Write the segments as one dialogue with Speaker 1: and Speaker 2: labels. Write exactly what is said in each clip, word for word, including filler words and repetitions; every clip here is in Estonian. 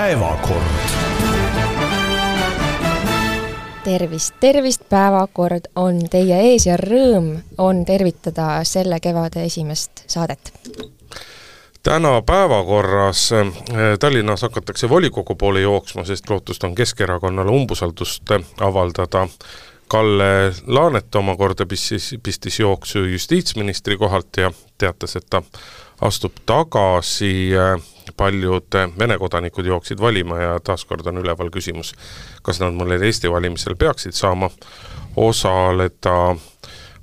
Speaker 1: päevakord.
Speaker 2: Tervist, tervist, päevakord on teie ees ja rõõm on tervitada selle kevade esimest saadet.
Speaker 3: Täna päevakorras Tallinnas hakatakse volikogu poole jooksma, sest lootust on Keskerakonnale umbusaldust avaldada. Kalle Laanet omakorda pistis, pistis jooksu justiitsministri kohalt ja teatas, et ta astub tagasi. Paljud Vene kodanikud jooksid valima ja taaskord on üleval küsimus, kas nad mõnel Eesti valimisel peaksid saama osaleda.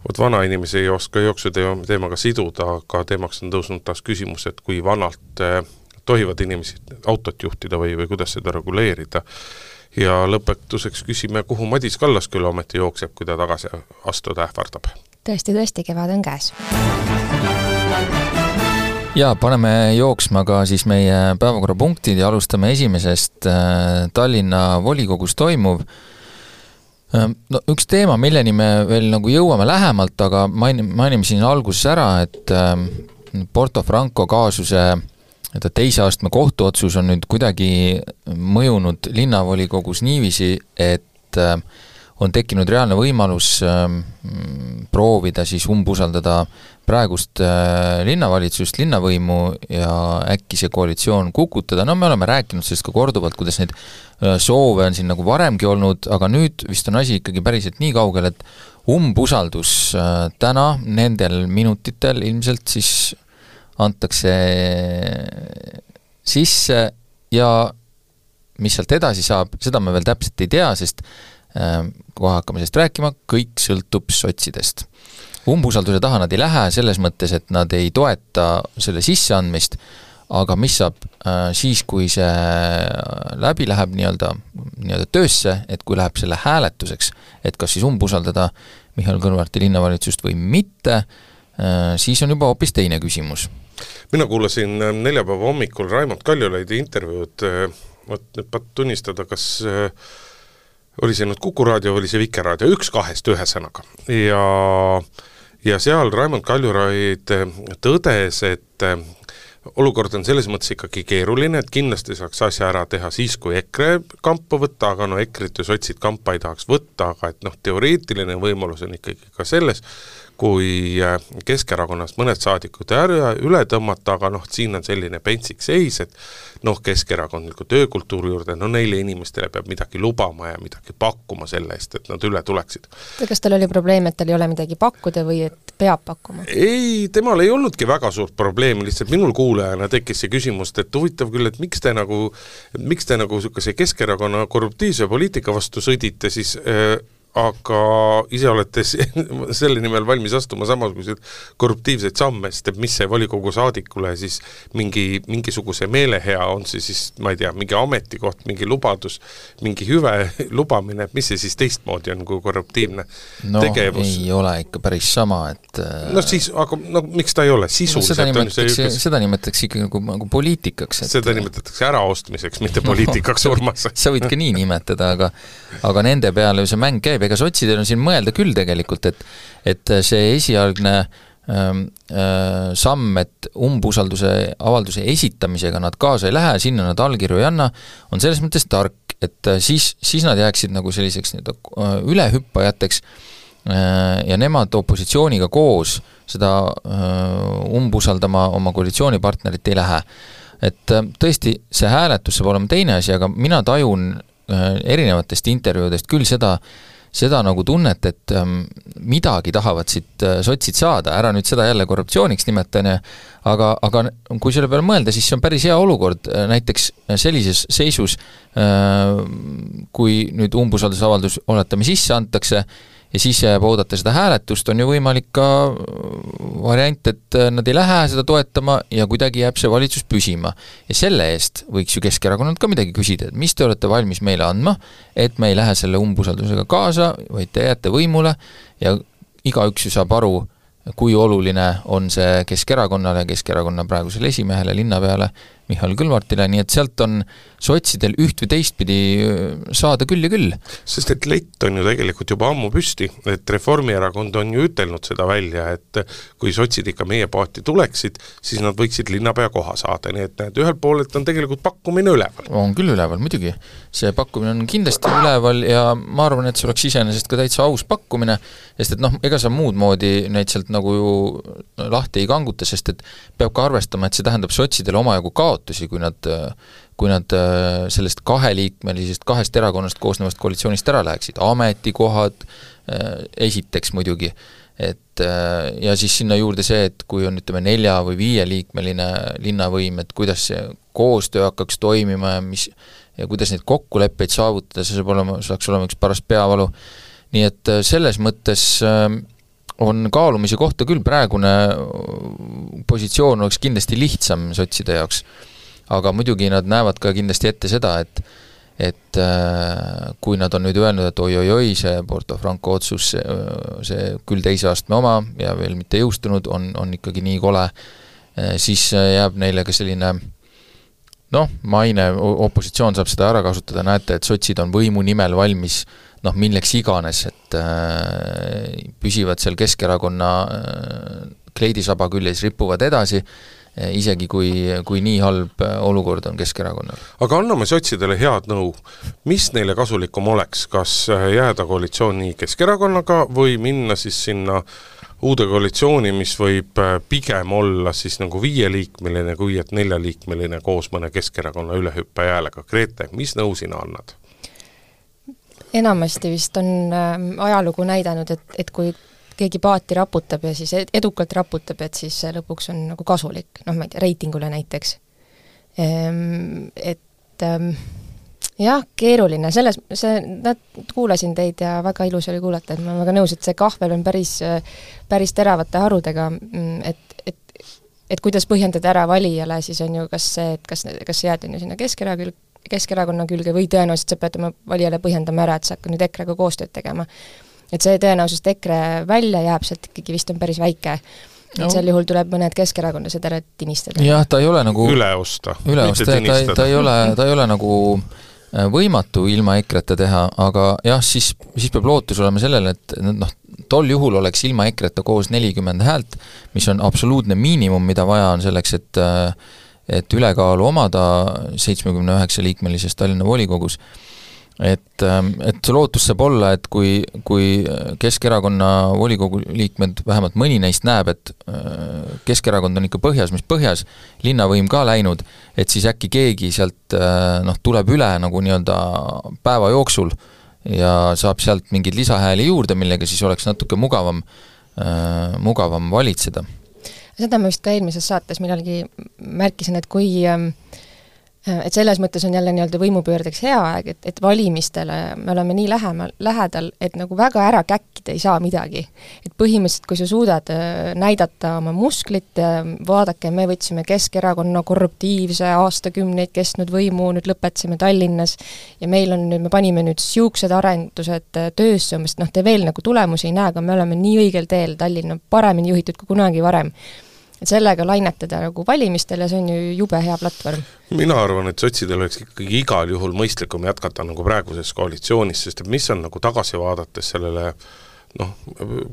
Speaker 3: Vot vana inimesi ei oska jooksu teemaga siduda, aga teemaks on tõusnud taas küsimus, et kui vanalt tohivad inimesi autot juhtida või, või kuidas seda reguleerida. Ja lõpetuseks küsime, kuhu Madis Kallasküla ometi jookseb, kui ta tagasi astuda ähvardab.
Speaker 2: Tõesti, tõesti, kevad on käes.
Speaker 4: Ja paneme jooksma ka siis meie päevakorrapunktid ja alustame esimesest Tallinna volikogus toimuv. No, üks teema, milleni me veel nagu jõuame lähemalt, aga mainime siin alguses ära, et Porto Franco kaasuse teise astme kohtuotsus on nüüd kuidagi mõjunud linnavolikogus niiviisi, et on tekkinud reaalne võimalus proovida siis umbusaldada praegust linnavalitsust, linnavõimu ja äkki see koalitsioon kukutada. No me oleme rääkinud sellest ka korduvalt, kuidas neid soove on siin nagu varemgi olnud, aga nüüd vist on asi ikkagi päriselt nii kaugel, et umbusaldus täna nendel minutitel ilmselt siis antakse sisse ja mis sealt edasi saab, seda me veel täpselt ei tea, sest kohe hakkame sellest rääkima, kõik sõltub sotsidest. Umbusalduse taha nad ei lähe selles mõttes, et nad ei toeta selle sisseandmist, aga mis saab siis, kui see läbi läheb nii-öelda, nii-öelda töösse, et kui läheb selle hääletuseks, et kas siis umbusaldada Mihhail Kõlvarti linnavalitsust või mitte, siis on juba hoopis teine küsimus.
Speaker 3: Mina kuulasin neljapäeva hommikul Raimond Kaljulaidi intervjuud, nüüd pat tunnistada, kas oli see nüüd Kuku raadio või oli see Vikerraadio, üks kahest ühe sõnaga. Ja, ja seal Raimond Kaljulaid tõdes, et olukord on selles mõttes ikkagi keeruline, et kindlasti saaks asja ära teha siis, kui EKRE kampa võtta, aga no EKRE-t ja sotsid kampa ei tahaks võtta, aga et noh, teoreetiline võimalus on ikkagi ka selles, kui Keskerakonnast mõned saadikud üle tõmmata, aga noh, siin on selline pentsik seis, et noh, Keskerakondliku töökultuuri juurde, no neile inimestele peab midagi lubama ja midagi pakkuma selle eest, et nad üle tuleksid.
Speaker 2: Kas tal oli probleem, et tal ei ole midagi pakkuda või et peab pakkuma?
Speaker 3: Ei, temal ei olnudki väga suurt probleemi, lihtsalt minul kuulajana tekkis see küsimust, et huvitav küll, et miks te nagu, miks te nagu see Keskerakonna korruptiivse poliitika vastu sõdite, siis äh, aga ise olete selle nimel valmis astuma samasugused korruptiivseid samme, sest mis see volikogu saadikule siis mingi, mingisuguse meelehea on see siis, ma ei tea, mingi ametikoht, mingi lubadus, mingi hüve lubamine, mis see siis teistmoodi on kui korruptiivne
Speaker 4: no,
Speaker 3: tegevus?
Speaker 4: No ei ole ikka päris sama, et
Speaker 3: no siis, aga no, miks ta ei ole? Sisuliselt
Speaker 4: no, seda nimetatakse, see, seda nimetatakse ikkagi nagu, nagu poliitikaks. Et
Speaker 3: seda nimetatakse äraostmiseks, mitte poliitikaks, Urmas.
Speaker 4: Sa võid ka nii nimetada, aga, aga nende peale see mäng käib, ega sotsidel on siin mõelda küll tegelikult, et, et see esialgne ähm, äh, samm, et umbusalduse avalduse esitamisega nad kaasa ei lähe, sinna nad allkirju ei anna, on selles mõttes tark, et siis, siis nad jääksid nagu selliseks äh, ülehüppajateks äh, ja nemad opositsiooniga koos seda äh, umbusaldama oma koalitsioonipartnerit ei lähe. Et äh, tõesti, see hääletus saab olema teine asi, aga mina tajun äh, erinevatest intervjuudest küll seda, seda nagu tunnet, et ähm, midagi tahavad siit äh, sotsid saada, ära nüüd seda jälle korruptsiooniks nimetane, aga, aga kui selle peale mõelda, siis see on päris hea olukord, näiteks sellises seisus, äh, kui nüüd umbusaldusavaldus oletame sisse antakse, ja siis jääb oodata seda hääletust, on ju võimalik ka variant, et nad ei lähe seda toetama ja kuidagi jääb see valitsus püsima. Ja selle eest võiks ju Keskerakonnalt ka midagi küsida, et mis te olete valmis meile andma, et me ei lähe selle umbusaldusega kaasa, vaid te jääte võimule ja igaüks ju saab aru, kui oluline on see Keskerakonnale ja Keskerakonna praegusele esimehele linnapeale, Mihhail Kõlvartile, nii et sealt on sotsidel üht või teistpidi saada küll ja küll.
Speaker 3: Sest et lett on ju tegelikult juba ammu püsti, et Reformierakond on ju ütelnud seda välja, et kui sotsid ikka meie paati tuleksid, siis nad võiksid linnapea koha saada, nii et näed, ühel poolelt on tegelikult pakkumine üleval.
Speaker 4: On küll üleval, muidugi. See pakkumine on kindlasti üleval ja ma arvan, et see oleks iseenesest ka täitsa aus pakkumine, sest et noh, ega sa muud moodi neid sealt nagu ju lahti ei kanguta, sest et peab ka arvestama, et see tähendab sotsidele omajagu kaotusi, kui nad, kui nad sellest kaheliikmelisest kahest erakonnast koosnevast koalitsioonist ära läheksid, ametikohad esiteks muidugi, et ja siis sinna juurde see, et kui on ütleme nelja või viieliikmeline linnavõim, et kuidas see koostöö hakkaks toimima ja mis ja kuidas neid kokkuleppeid saavutada, see saab olema, saaks olema üks paras peavalu. Nii et selles mõttes on kaalumise kohta küll, praegune positsioon oleks kindlasti lihtsam sotside jaoks, aga muidugi nad näevad ka kindlasti ette seda, et et kui nad on nüüd öelnud, et oi-oi-oi, see Porto Franco otsus, see, see küll teise astme oma ja veel mitte jõustunud, on, on ikkagi nii kole, siis jääb neile ka selline noh, maine, opositsioon saab seda ära kasutada, näete, et sotsid on võimu nimel valmis noh, milleks iganes, et äh, püsivad seal Keskerakonna äh, kleidisaba küljes, ripuvad edasi, äh, isegi kui, kui nii halb olukord on Keskerakonnal.
Speaker 3: Aga anname sotsidele head nõu. Mis neile kasulikum oleks, kas jääda koalitsiooni Keskerakonnaga või minna siis sinna uude koalitsiooni, mis võib pigem olla siis nagu viieliikmeline, kui et neljaliikmeline koos mõne Keskerakonna ülehüppe jäälega. Grete, mis nõu sina annad?
Speaker 2: Enamasti vist on äh, ajalugu näidanud, et, et kui keegi paati raputab ja siis edukalt raputab, et siis lõpuks on nagu kasulik, noh ma ei tea, reitingule näiteks. Ehm, et ähm, jah, keeruline, selles, see, nad kuulasin teid ja väga ilus oli kuulata, et ma väga nõus, et see kahvel on päris, päris teravate harudega, et, et, et kuidas põhjendada ära valijale, siis on ju kas see, et kas, kas jääd on ju sinna Keskerakonna Keskerakonna külge või tõenäoliselt sa pead oma valijale põhjendama ära, et sa hakkad nüüd EKRE-ga koostööd tegema. Et see tõenäoliselt EKRE välja jääb, sealt ikkagi vist on päris väike. No. Et sel juhul tuleb mõned Keskerakondlased ära tinistada.
Speaker 4: Jah, ta ei ole nagu
Speaker 3: üle osta.
Speaker 4: Üle osta, ta, ta, ta, ei ole, ta ei ole nagu võimatu ilma EKRE-ta teha, aga jah, siis, siis peab lootus olema sellele, et noh, tol juhul oleks ilma EKRE-ta koos nelikümmend häält, mis on absoluutne miinimum, mida vaja on selleks, et et ülekaalu omada seitsmekümne üheksa liikmelises Tallinna volikogus. Et, et see lootus saab olla, et kui, kui Keskerakonna volikogu liikmed, vähemalt mõni neist näeb, et Keskerakond on ikka põhjas, mis põhjas, linnavõim ka läinud, et siis äkki keegi sealt noh, tuleb üle nagu nii-öelda päeva jooksul ja saab sealt mingeid lisahääli juurde, millega siis oleks natuke mugavam, mugavam valitseda.
Speaker 2: Seda ma vist ka eelmises saates millalgi märkisin, et kui et selles mõttes on jälle nii-öelda võimupöördeks hea aeg, et, et valimistele me oleme nii lähemal, lähedal, et nagu väga ära käkkida ei saa midagi. Et põhimõtteliselt, kui sa suudad näidata oma musklit, vaadake, me võtsime Keskerakonna korruptiivse aastakümneid kestnud võimu, nüüd lõpetasime Tallinnas ja meil on nüüd, me panime nüüd siuksed arendused töösse, sest noh, te veel nagu tulemusi ei näe, aga me oleme nii õigel teel, Tallinn on paremini juhitud kui kunagi varem. Et sellega lainetada nagu valimistel ja see on ju jube hea platvorm.
Speaker 3: Mina arvan, et sotsidel oleks ikkagi igal juhul mõistlikum jätkata nagu praeguses koalitsioonis, sest mis on nagu tagasi vaadates sellele noh,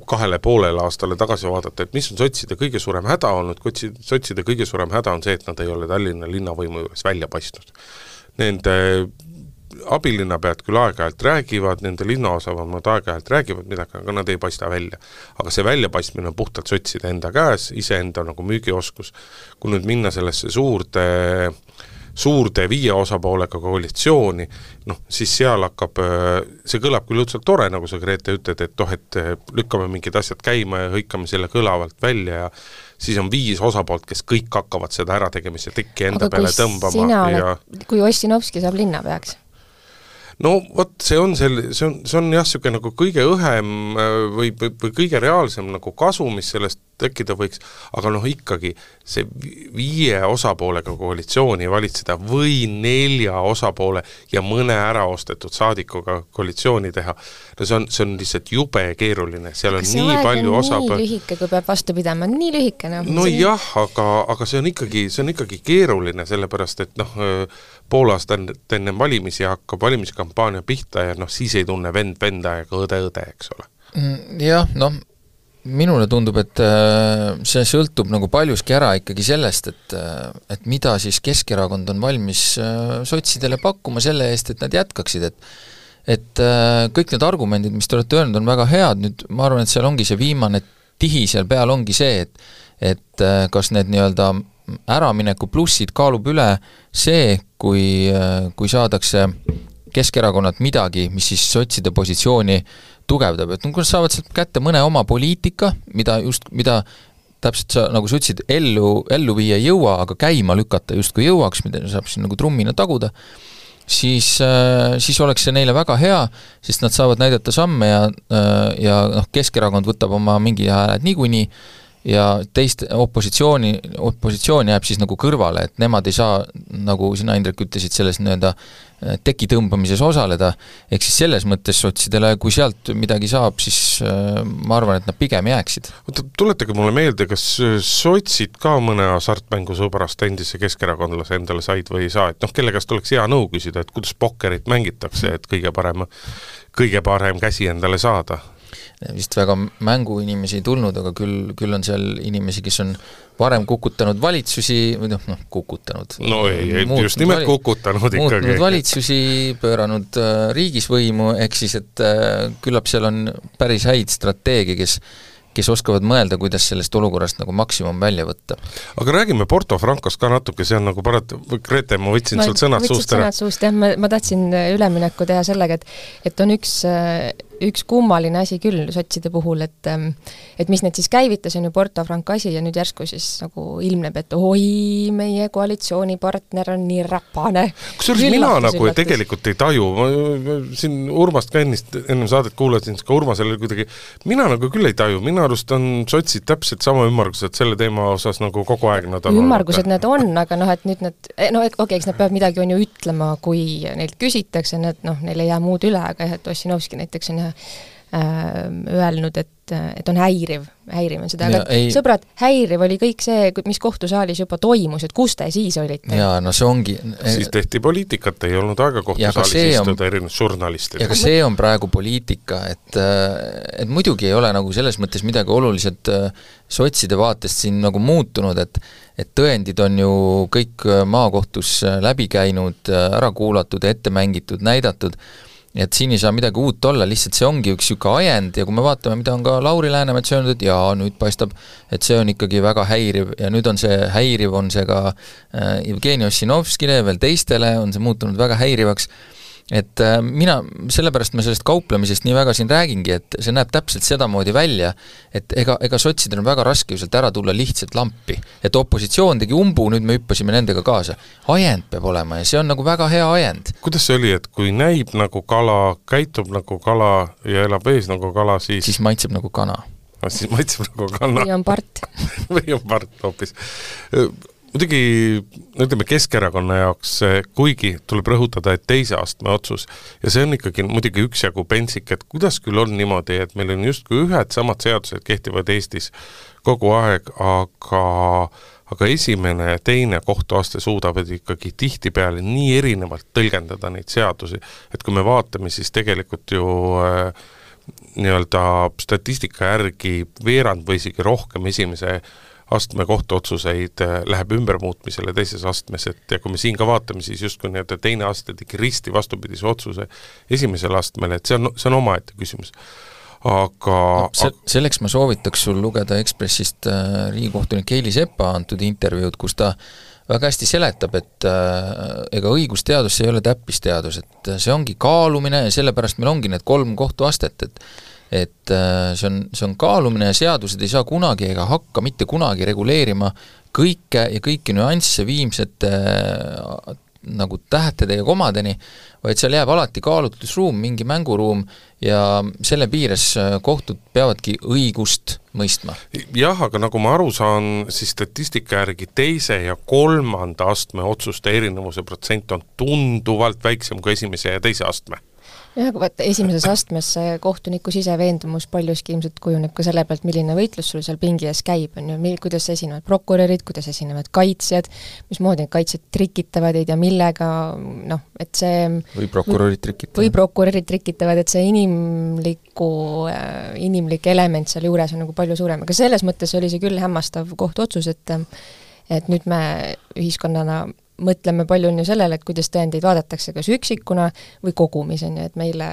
Speaker 3: kahele poolele aastale tagasi vaadata, et mis on sotside kõige suurem häda olnud, sotside kõige suurem häda on see, et nad ei ole Tallinna linnavõimu juures välja paistnud. Nende abilinnapead küll aeg-ajalt räägivad, nende linnaosavamad aeg-ajalt räägivad midagi, aga nad ei paista välja. Aga see väljapaistmine on puhtalt sotside enda käes, iseenda nagu müügioskus. Kui nüüd minna sellesse suurde, suurde viie osapoolega koalitsiooni, noh, siis seal hakkab, see kõlab küll õudselt tore, nagu sa Grete ütled, et toh, et lükkame mingid asjad käima ja hõikame selle kõlavalt välja ja siis on viis osapoolt, kes kõik hakkavad seda ära tegemise tekki enda peale tõmbama.
Speaker 2: Oled,
Speaker 3: ja
Speaker 2: kui Ossinovski saab linna peaks?
Speaker 3: No vot, see on, sel, see on, see on jah, siuke nagu kõige õhem või, või, või kõige reaalsem nagu kasu, mis sellest tekkida võiks, aga noh ikkagi see viie osapoolega koalitsiooni valitseda või nelja osapoole ja mõne äraostetud saadikuga koalitsiooni teha, no see on, see on lihtsalt jube keeruline, seal on
Speaker 2: see
Speaker 3: nii palju osapoole.
Speaker 2: nii lühike, kui peab vastu pidama, nii lühike. No,
Speaker 3: no see... jah, aga, aga see on ikkagi, see on ikkagi keeruline, sellepärast et noh, pool aastat enne valimisi hakkab valimiskampaania pihta ja noh, siis ei tunne vend venda ega õde õde, eks ole.
Speaker 4: Jah, noh, minule tundub, et see sõltub nagu paljuski ära ikkagi sellest, et, et mida siis Keskerakond on valmis sotsidele pakkuma selle eest, et nad jätkaksid, et et kõik need argumendid, mis te olete öelnud, on väga head, nüüd ma arvan, et seal ongi see viimane tihi seal peal ongi see, et et kas need nii-öelda äramineku plussid kaalub üle see, kui, kui saadakse Keskerakonnalt midagi, mis siis sotside positsiooni tugevdab, et kui nad saavad sealt kätte mõne oma poliitika, mida just, mida täpselt sa, nagu sa ütlesid, ellu, ellu viia ei jõua, aga käima lükata justkui jõuaks, mida saab siin nagu trummina taguda, siis, siis oleks see neile väga hea, sest nad saavad näidata samme ja, ja noh, Keskerakond võtab oma mingi hääled niikuinii ja teist opositsiooni, opositsioon jääb siis nagu kõrvale, et nemad ei saa, nagu sina, Indrek, ütlesid, selles nii-öelda teki tõmbamises osaleda, ehk siis selles mõttes sotsidele, kui sealt midagi saab, siis ma arvan, et nad pigem jääksid.
Speaker 3: Tuletage mulle meelde, kas sotsid ka mõne hasartmängu sõbrast endise keskerakondlase endale said või ei saa, et noh, kelle käest oleks hea nõu küsida, et kuidas pokkerit mängitakse, et kõige parem, kõige parem käsi endale saada?
Speaker 4: Vist väga mänguinimesi ei tulnud, aga küll, küll on seal inimesi, kes on varem kukutanud valitsusi, või noh, noh kukutanud.
Speaker 3: No ei, just nimelt vali, kukutanud ikkagi.
Speaker 4: Muutnud valitsusi, pööranud äh, riigis võimu, ehk siis, et äh, küllap seal on päris häid strateegia, kes kes oskavad mõelda, kuidas sellest olukorrast nagu maksimum välja võtta.
Speaker 3: Aga räägime Porto Francost ka natuke, see on nagu parat-, Grete, ma võtsin ma sult sõnad suust ära.
Speaker 2: Sõnad suust, jah, ma, ma tahtsin ülemineku teha sellega, et, et on üks, üks kummaline asi küll sotside puhul, et, et mis need siis käivitas, on ju Porto Franco asi ja nüüd järsku siis nagu ilmneb, et oi, meie koalitsioonipartner on nii räpane.
Speaker 3: Kusjuures mina nagu üllatus. Tegelikult ei taju, ma siin Urmast ka ennist, ennem saadet kuulasin, ka Urmasele kuidagi, mina nagu küll ei taju, mina arust on sotsid täpselt sama ümmargused selle teema osas nagu kogu aeg nad on.
Speaker 2: Ümmargused nad on, aga noh, et nüüd nad, no okei, okay, eks nad peavad midagi on ju ütlema, kui neilt küsitakse, need, noh, neil ei jää muud üle, aga jah, et Ossinovski näiteks on jah äh, öelnud, et, et on häiriv, häiriv on seda, aga ja, ei... sõbrad, häiriv oli kõik see, mis kohtusaalis juba toimus, et kus te siis olite?
Speaker 4: Jaa, no see ongi...
Speaker 3: Siis tehti poliitikat, ei olnud aega kohtusaalis istuda on... erinev žurnalistid.
Speaker 4: Ja ka see on praegu poliitika, et, et muidugi ei ole nagu selles mõttes midagi oluliselt sotside vaatest siin nagu muutunud, et, et tõendid on ju kõik maakohtus läbi käinud, ära kuulatud, ette mängitud, näidatud, et siin ei saa midagi uut olla, lihtsalt see ongi üks siuke ajend ja kui me vaatame, mida on ka Lauri Läänemets öelnud, et jaa, nüüd paistab, et see on ikkagi väga häiriv ja nüüd on see häiriv, on see ka Jevgeni Ossinovskile ja veel teistele on see muutunud väga häirivaks, et mina, sellepärast me sellest kauplemisest nii väga siin räägingi, et see näeb täpselt sedamoodi välja, et ega, ega sotsidel on väga raske ju sealt ära tulla lihtsalt lampi, et opositsioon tegi umbu, nüüd me hüppasime nendega kaasa. Ajend peab olema ja see on nagu väga hea ajend.
Speaker 3: Kuidas see oli, et kui näib nagu kala, käitub nagu kala ja elab ees nagu kala, siis...
Speaker 4: Siis maitseb nagu kana.
Speaker 3: No, siis maitseb nagu kana.
Speaker 2: Või on part.
Speaker 3: Või on part hoopis. Muidugi, ütleme Keskerakonna jaoks, kuigi tuleb rõhutada, et teise astme otsus ja see on ikkagi muidugi üksjagu pentsik, et kuidas küll on niimoodi, et meil on justkui ühed samad seadused kehtivad Eestis kogu aeg, aga, aga esimene ja teine kohtuaste suudavad ikkagi tihtipeale nii erinevalt tõlgendada neid seadusi, et kui me vaatame, siis tegelikult ju äh, nii-öelda statistika järgi veerand või isegi rohkem esimese astme kohtuotsuseid läheb ümbermuutmisele teises astmes, et ja kui me siin ka vaatame, siis justkui nii, et teine aste tegi risti vastupidise otsuse esimesel astmele, et see on, see on omaette küsimus. Aga... No,
Speaker 4: se selleks ma soovitaks sul lugeda Ekspressist äh, riigikohtunik Heili Sepa antud intervjuud, kus ta väga hästi seletab, et äh, ega õigusteadus ei ole täppisteadus, et see ongi kaalumine ja sellepärast meil ongi need kolm kohtuastet, et et see on, see on kaalumine ja seadused ei saa kunagi ega hakka mitte kunagi reguleerima kõike ja kõiki nüansse viimsete nagu tähtede ja komadeni, vaid seal jääb alati kaalutlusruum, mingi mänguruum ja selle piires kohtud peavadki õigust mõistma.
Speaker 3: Jah, aga nagu ma aru saan, siis statistika järgi teise ja kolmanda astme otsuste erinevuse protsent on tunduvalt väiksem kui esimese ja teise astme.
Speaker 2: jah, vaata esimeses astmes kohtuniku siseveendumus paljuski ilmselt kujuneb ka selle pealt, milline võitlus sul seal pingi ees käib, on ju, kuidas esinevad prokurörid, kuidas esinevad kaitsjad, mismoodi need kaitsjad trikitavad, ei tea millega, noh, et see
Speaker 4: või prokurörid trikitavad.
Speaker 2: või prokurörid trikitavad, et see inimliku, inimlik element seal juures on nagu palju suurem, aga selles mõttes oli see küll hämmastav kohtuotsus, et et nüüd me ühiskonnana mõtleme palju on ju sellele, et kuidas tõendeid vaadatakse kas üksikuna või kogumis, on ju, et meile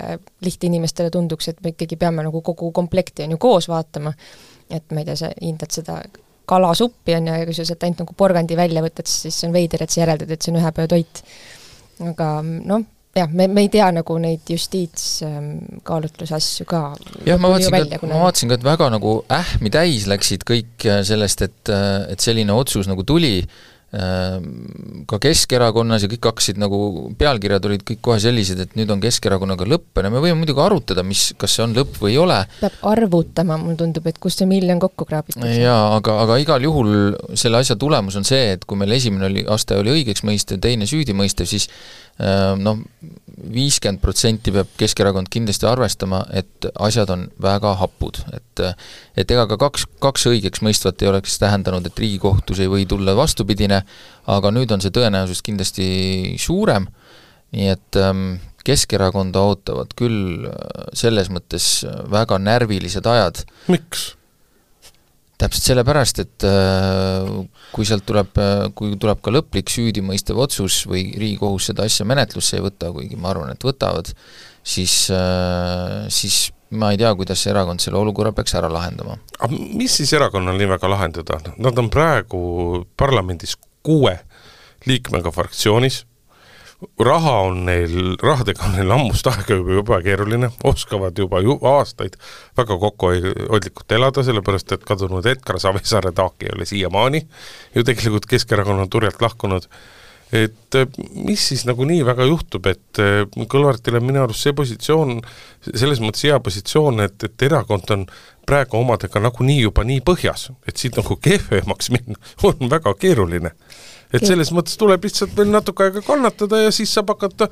Speaker 2: lihtinimestele tunduks, et me ikkagi peame nagu kogu komplekti on ju koos vaatama, et ma ei tea, sa hindad seda kalasuppi on ju, ja kui sa sealt ainult nagu porgandi välja võtad, siis see on veider, et sa järeldad, et see on ühe päeva toit. Aga noh, jah, me, me ei tea nagu neid justiitskaalutlusasju ka.
Speaker 4: jah, ma vaatasin, välja, ka, ma vaatasin ka, et väga nagu ähmi täis läksid kõik sellest, et, et selline otsus nagu tuli, ka Keskerakonnas ja kõik hakkasid nagu, pealkirjad olid kõik kohe sellised, et nüüd on Keskerakonnaga lõppene, me võime muidugi arutada, mis, kas see on lõpp või ei ole.
Speaker 2: Peab arvutama, mul tundub, et kust see miljon kokku kraabitakse.
Speaker 4: Jaa, aga, aga igal juhul selle asja tulemus on see, et kui meil esimene oli, aste oli õigeks mõistev, teine süüdi mõistev, siis noh, viiskümmend protsenti peab Keskerakond kindlasti arvestama, et asjad on väga hapud, et, et ega ka kaks, kaks õigeks mõistvat ei oleks tähendanud, et Riigikohtus ei või tulla vastupidine, aga nüüd on see tõenäosus kindlasti suurem, nii et Keskerakonda ootavad küll selles mõttes väga närvilised ajad.
Speaker 3: Miks?
Speaker 4: Täpselt sellepärast, et kui sealt tuleb, kui tuleb ka lõplik süüdimõistev otsus või Riigikohus seda asja menetlusse ei võta, kuigi ma arvan, et võtavad, siis, siis ma ei tea, kuidas see erakond selle olukorra peaks ära lahendama.
Speaker 3: Aga mis siis erakonnal nii väga lahendada? Nad on praegu parlamendis kuue liikmega fraktsioonis, raha on neil, rahadega on neil ammust aega juba, juba keeruline, oskavad juba, juba aastaid väga kokkuhoidlikult elada, sellepärast et kadunud Edgar Savisaare taak ei ole siiamaani ju tegelikult Keskerakonna turjalt lahkunud. Et mis siis nagu nii väga juhtub, et Kõlvartile minu arust see positsioon, selles mõttes hea positsioon, et, et erakond on praegu omadega nagu nii juba nii põhjas, et siit nagu kehvemaks minna on väga keeruline. Et selles mõttes tuleb lihtsalt veel natuke aega kannatada ja siis saab hakata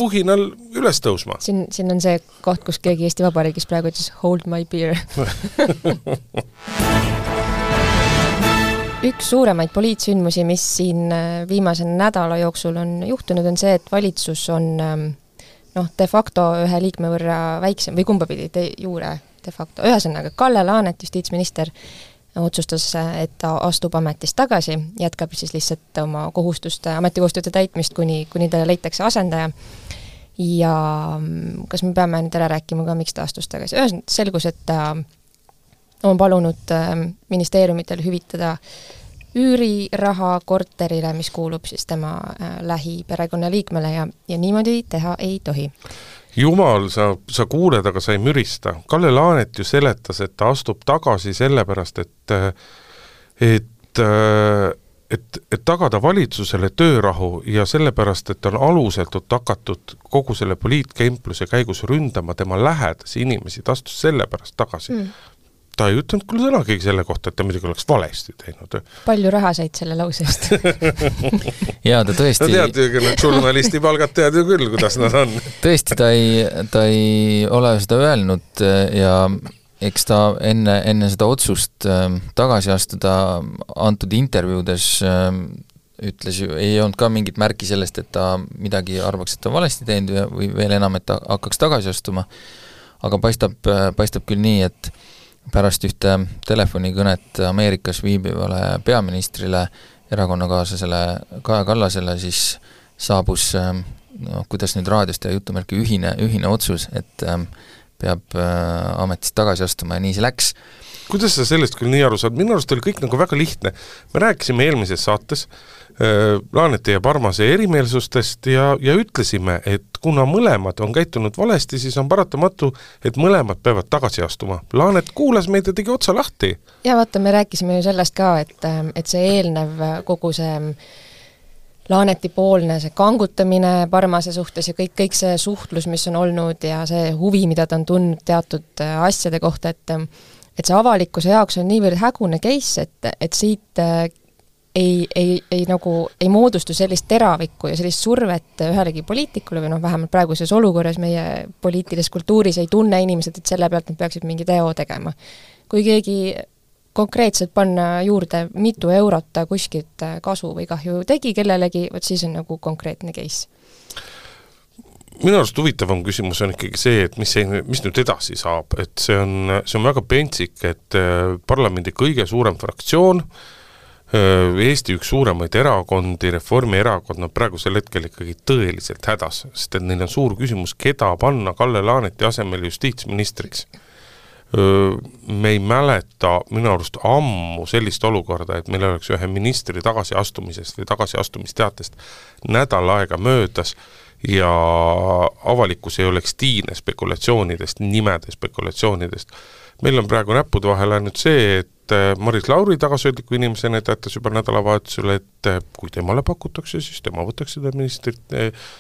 Speaker 3: vuhinal üles tõusma.
Speaker 2: Siin, siin on see koht, kus keegi Eesti Vabariigis praegu ütles hold my beer. Üks suuremaid poliitsündmusi, mis siin viimase nädala jooksul on juhtunud, on see, et valitsus on noh, de facto ühe liikme võrra väiksem või kumbapidi de juure de facto. Ühesõnaga, Kalle Laanet, justiitsminister, otsustas, et ta astub ametist tagasi, jätkab siis lihtsalt oma kohustuste, ametikohustuste täitmist, kuni, kuni talle leitakse asendaja. Ja kas me peame nüüd ära rääkima ka, miks ta astus tagasi? Ühesõnaga selgus, et ta on palunud ministeeriumitel hüvitada üüriraha korterile, mis kuulub siis tema lähiperekonna liikmele ja, ja niimoodi teha ei tohi.
Speaker 3: Jumal, sa, sa kuuled, aga sa ei mürista. Kalle Laanet ju seletas, et ta astub tagasi sellepärast, et, et, et, et tagada valitsusele töörahu ja sellepärast, et on aluselt hakatud kogu selle poliitkempluse käigus ründama tema lähedasi inimesi, ta astus sellepärast tagasi. Mm. Ta ei ütlenud küll sõnagi selle kohta, et ta midagi oleks valesti teinud.
Speaker 2: Palju raha said selle lausest?
Speaker 4: Jaa, ta tõesti...
Speaker 3: No tead ju, need journalisti palgad tead ju küll, kuidas nad on.
Speaker 4: Tõesti, ta ei, ta ei ole seda öelnud ja eks ta enne, enne seda otsust tagasi astuda antud intervjuudes ütles ju, ei olnud ka mingit märki sellest, et ta midagi arvaks, et ta valesti teinud või veel enam, et ta hakkaks tagasi astuma. Aga paistab, paistab küll nii, et pärast ühte telefonikõnet Ameerikas viibivale peaministrile, erakonnakaaslasele Kaja Kallasele, siis saabus, no, kuidas nüüd raadiost ja jutumärki ühine, ühine otsus, et peab ametist tagasi astuma ja nii see läks.
Speaker 3: Kuidas sa sellest küll nii aru saad? Minu arust oli kõik nagu väga lihtne. Me rääkisime eelmises saates äh, Laaneti ja Parmase erimeelsustest ja, ja ütlesime, et kuna mõlemad on käitunud valesti, siis on paratamatu, et mõlemad peavad tagasi astuma. Laanet kuulas meid ja tegi otsa lahti.
Speaker 2: Ja vaata, me rääkisime ju sellest ka, et, et see eelnev kogu see Laaneti poolne see kangutamine Parmase suhtes ja kõik, kõik see suhtlus, mis on olnud ja see huvi, mida ta on tundnud teatud asjade kohta, et et see avalikkuse jaoks on niivõrd hägune case, et, et siit ei, ei, ei, nagu, ei moodustu sellist teravikku ja sellist survet ühelegi poliitikule või noh, vähemalt praeguses olukorras meie poliitilises kultuuris ei tunne inimesed, et selle pealt nad peaksid mingi teo tegema. Kui keegi konkreetselt panna juurde mitu eurot ta kuskilt kasu või kahju tegi kellelegi, võt siis on nagu konkreetne case.
Speaker 3: Minu arust huvitavam küsimus on ikkagi see, et mis, see, mis nüüd edasi saab, et see on, see on väga pentsik, et parlamendi kõige suurem fraktsioon, Eesti üks suuremaid erakondi, Reformierakond, nad praegusel hetkel ikkagi tõeliselt hädas, sest et neil on suur küsimus, keda panna Kalle Laaneti asemel justiitsministriks. Me ei mäleta minu arust ammu sellist olukorda, et meil oleks ühe ministri tagasiastumisest või tagasiastumisteatest nädal aega möödas ja avalikkus ei oleks tiine spekulatsioonidest, nimede spekulatsioonidest. Meil on praegu näppude vahel ainult see, et Maris Lauri tagasihoidliku inimesena teatas juba nädalavahetusele, et kui temale pakutakse, siis tema võtaks seda ministrit,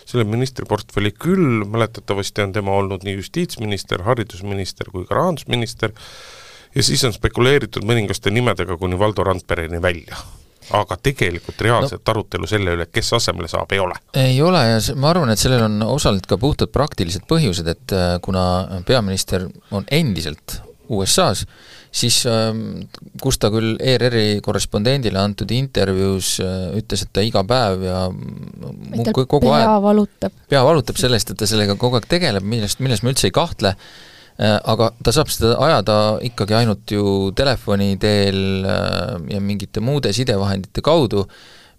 Speaker 3: selle ministriportfelli küll, mäletatavasti on tema olnud nii justiitsminister, haridusminister kui ka rahandusminister ja siis on spekuleeritud mõningaste nimedega kuni Valdo Randpereni välja. Aga tegelikult reaalset no, arutelu selle üle, kes asemele saab, ei ole.
Speaker 4: Ei ole ja ma arvan, et sellel on osalt ka puhtalt praktilised põhjused, et kuna peaminister on endiselt U S A-s, siis kus ta küll E R R-i korrespondendile antud intervjuus ütles, et ta iga päev ja kogu
Speaker 2: pea aeg valutab.
Speaker 4: Pea valutab sellest, et ta sellega kogu aeg tegeleb, millest, millest me üldse ei kahtle, aga ta saab seda ajada ikkagi ainult ju telefoni teel ja mingite muude sidevahendite kaudu,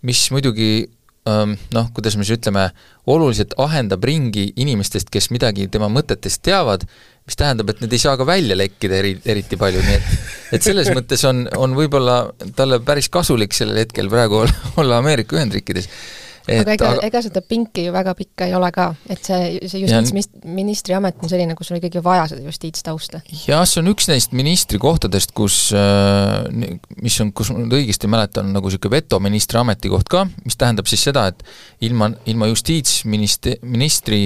Speaker 4: mis muidugi noh, kuidas me siis ütleme, oluliselt ahendab ringi inimestest, kes midagi tema mõtetest teavad, mis tähendab, et need ei saa ka välja lekkida eri, eriti palju, nii et, et selles mõttes on, on võib-olla talle päris kasulik sellel hetkel praegu olla, olla Ameerika Ühendriikides. Et,
Speaker 2: aga ega, aga ega seda pinki ju väga pikka ei ole ka, et see, see justiitsministri amet on selline, kus on ikkagi vaja seda justiitstausta.
Speaker 4: Jah, see on üks neist ministri kohtadest, kus, mis on, kus õigesti mäletan, nagu siuke veto ministri ametikoht ka, mis tähendab siis seda, et ilma, ilma justiitsministri ministri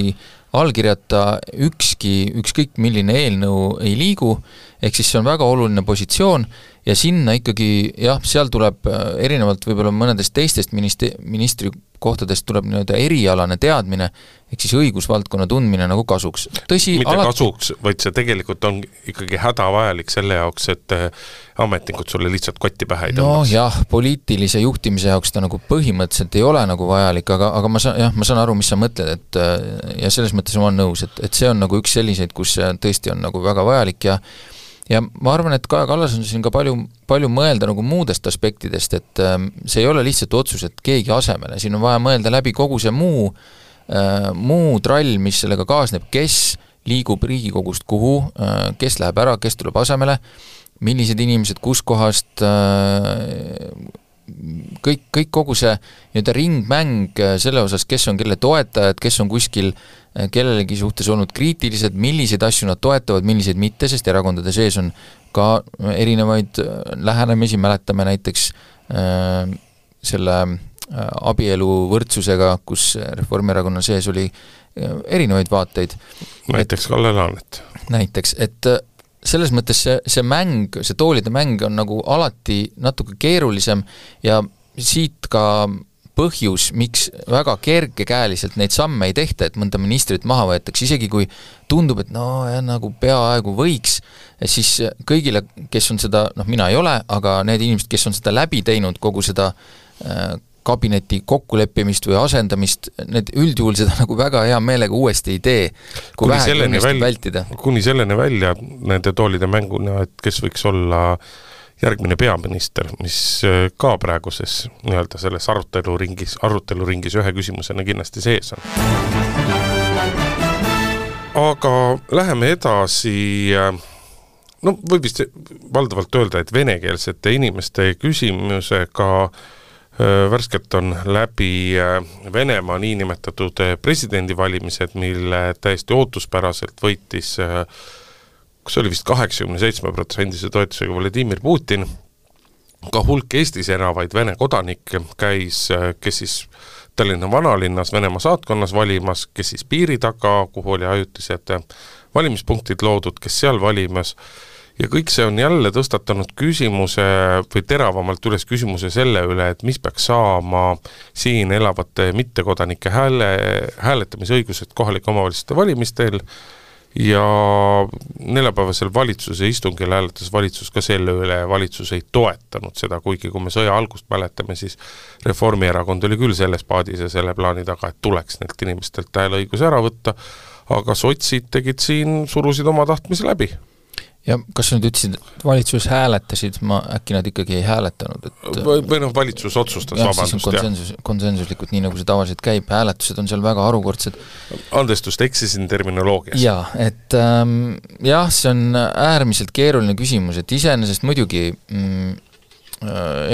Speaker 4: allkirjata ükski, ükskõik milline eelnõu ei liigu, ehk siis see on väga oluline positsioon ja sinna ikkagi, jah, seal tuleb erinevalt võib-olla mõnedest teistest ministri, ministri kohtadest tuleb nii-öelda erialane teadmine, ehk siis õigusvaldkonna tundmine nagu kasuks. Tõsi,
Speaker 3: mitte alati... kasuks, vaid see tegelikult on ikkagi hädavajalik selle jaoks, et ametnikud sulle lihtsalt kotti pähe ei tõmbaks.
Speaker 4: No jah, poliitilise juhtimise jaoks ta nagu põhimõtteliselt ei ole nagu vajalik, aga, aga ma saan, jah, ma saan aru, mis sa mõtled, et ja selles mõttes ma olen nõus, et, et see on nagu üks selliseid, kus tõesti on nagu väga vajalik ja ja ma arvan, et Kaja Kallas on siin ka palju, palju mõelda nagu muudest aspektidest, et see ei ole lihtsalt otsus, et keegi asemele, siin on vaja mõelda läbi kogu see muu, äh, muu trall, mis sellega kaasneb, kes liigub Riigikogust kuhu, äh, kes läheb ära, kes tuleb asemele, millised inimesed kus kohast, äh, kõik, kõik kogu see nii-öelda ringmäng selle osas, kes on kelle toetajad, kes on kuskil kellelegi suhtes olnud kriitilised, milliseid asju nad toetavad, milliseid mitte, sest erakondade sees on ka erinevaid lähenemisi, mäletame näiteks äh, selle äh, abielu võrdsusega, kus Reformierakonna sees oli äh, erinevaid vaateid.
Speaker 3: Näiteks Kalle Laanet.
Speaker 4: Näiteks, et äh, selles mõttes see, see mäng, see toolide mäng on nagu alati natuke keerulisem ja siit ka põhjus, miks väga kergekäeliselt neid samme ei tehta, et mõnda ministrit maha võetakse, isegi kui tundub, et no ja nagu peaaegu võiks, siis kõigile, kes on seda, noh mina ei ole, aga need inimesed, kes on seda läbi teinud, kogu seda äh, kabineti kokkuleppimist või asendamist, need üldjuhul seda nagu väga hea meelega uuesti ei tee, kui vähe õnnestub vältida.
Speaker 3: Kuni selleni välja nende toolide mänguna, et kes võiks olla järgmine peaminister, mis ka praeguses nii-öelda selles aruteluringis, aruteluringis ühe küsimusena kindlasti sees on. Aga läheme edasi, no võib vist valdavalt öelda, et venekeelsete inimeste küsimusega värskelt on läbi Venemaa niinimetatud presidendivalimised, mille täiesti ootuspäraselt võitis kus oli vist kaheksakümne seitsme protsendise toetusega Vladimir Putin, ka hulk Eestis enavaid Vene kodanik käis, kes siis Tallinna vanalinnas Venemaa saatkonnas valimas, kes siis piiri taga, kuhu oli ajutised valimispunktid loodud, kes seal valimas, ja kõik see on jälle tõstatanud küsimuse või teravamalt üles küsimuse selle üle, et mis peaks saama siin elavate mittekodanike hääle, hääletamisõigused kohalike omavalitsuste valimistel, ja neljapäevasel valitsuse istungil hääletas valitsus ka selle üle, valitsus ei toetanud seda, kuigi kui me sõja algust mäletame, siis Reformierakond oli küll selles paadis ja selle plaani taga, et tuleks neilt inimestelt hääleõigus ära võtta, aga sotsid tegid siin, surusid oma tahtmise läbi.
Speaker 4: Ja kas sa nüüd ütlesid, et valitsus hääletasid, ma äkki nad ikkagi ei hääletanud? Et
Speaker 3: või, või noh, valitsus otsustas,
Speaker 4: jah,
Speaker 3: vabandust.
Speaker 4: Siis on konsensus, konsensuslikult, nii nagu see tavaliselt käib, hääletused on seal väga harukordsed.
Speaker 3: Andestust, eksisin terminoloogias.
Speaker 4: Jaa, et ähm, jah, see on äärmiselt keeruline küsimus, et iseenesest muidugi mm,